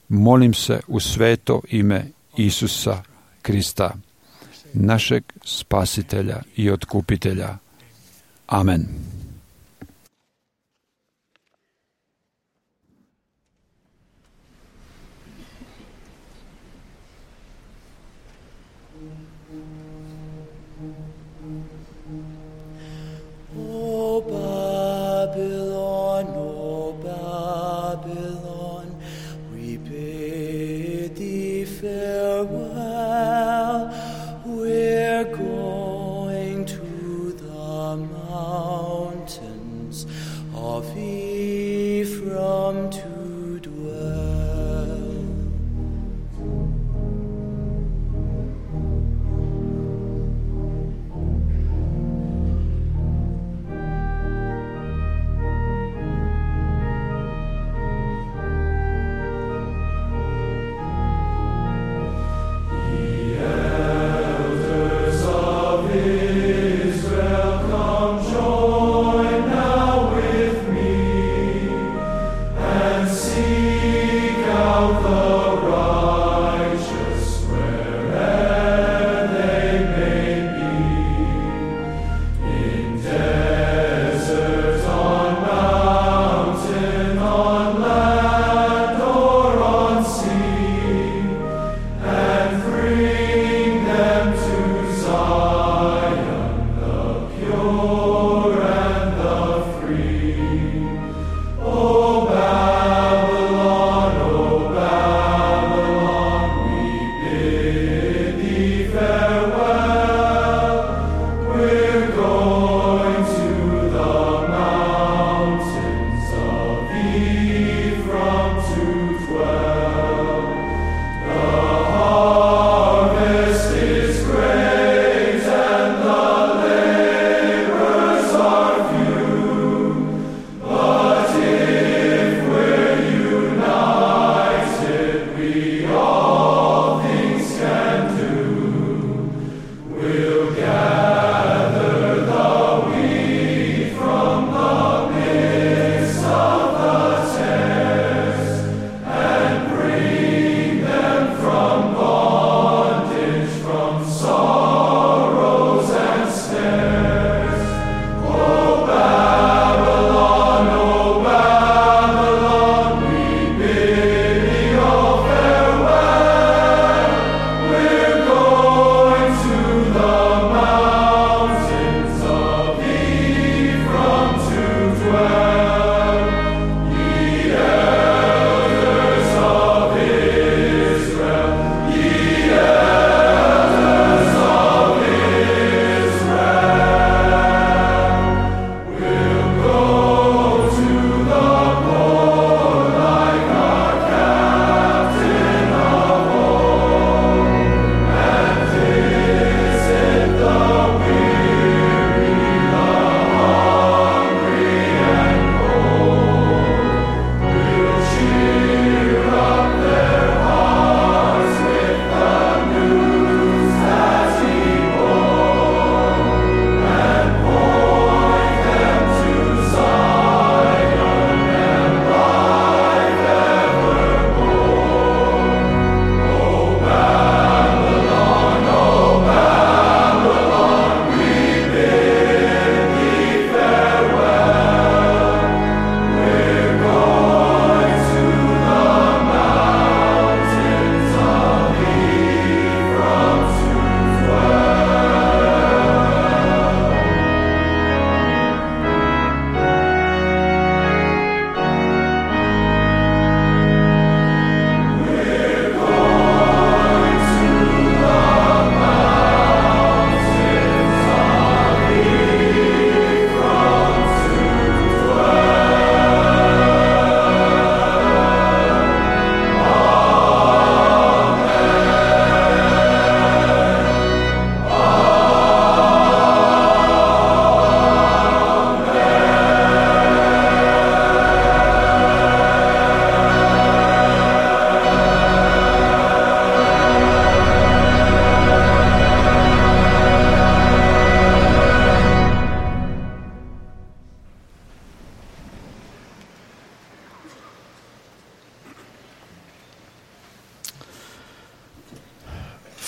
Molim se u sveto ime Isusa Krista, našeg spasitelja i otkupitelja. Amen. O Babylon, we bid thee farewell. We're going to the mountain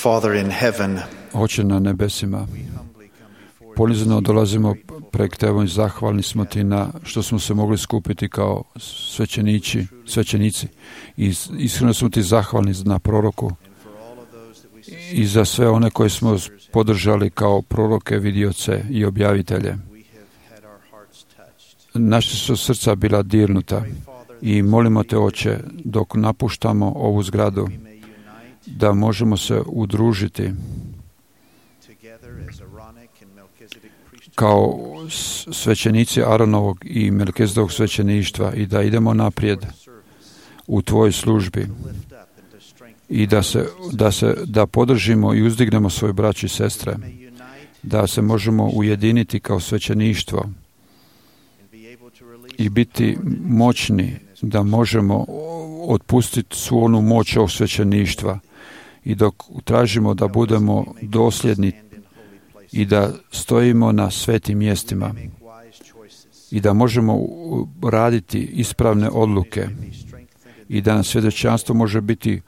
Father in heaven, Oče na nebesima, ponizno dolazimo pred Tebom i zahvalni smo Ti na što smo se mogli skupiti kao svećenici. I iskreno smo Ti zahvalni na proroku i za sve one koje smo podržali kao proroke, vidioce i objavitelje. Naša su srca bila dirnuta i molimo Te, Oče, dok napuštamo ovu zgradu, da možemo se udružiti kao svećenici Aronovog i Melkizedovog svećeništva i da idemo naprijed u Tvojoj službi i da podržimo i uzdignemo svoje braće i sestre, da se možemo ujediniti kao svećeništvo i biti moćni, da možemo otpustiti svu onu moć ovog svećeništva i dok tražimo da budemo dosljedni i da stojimo na svetim mjestima i da možemo raditi ispravne odluke i da nam svjedočanstvo može biti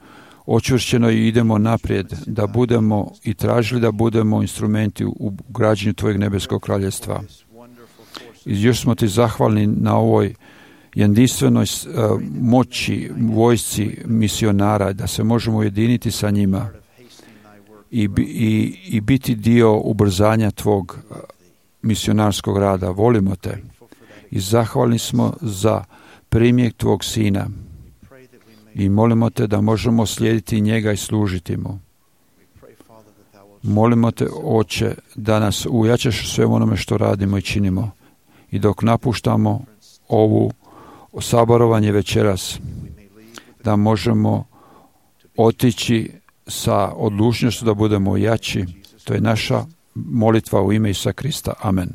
očvršćeno i idemo naprijed, da budemo i tražili da budemo instrumenti u građenju Tvojeg nebeskog kraljevstva. I još smo Ti zahvalni na ovoj jedinstvenoj moći, vojsci misionara, da se možemo ujediniti sa njima i biti dio ubrzanja Tvog misionarskog rada. Volimo Te i zahvalni smo za primjer Tvog Sina i molimo Te da možemo slijediti njega i služiti mu. Molimo Te, Oče, da nas ujačaš u svemu onome što radimo i činimo i dok napuštamo ovu saborovanje večeras, da možemo otići sa odlučnošću da budemo jači. To je naša molitva u ime Isusa Krista. Amen.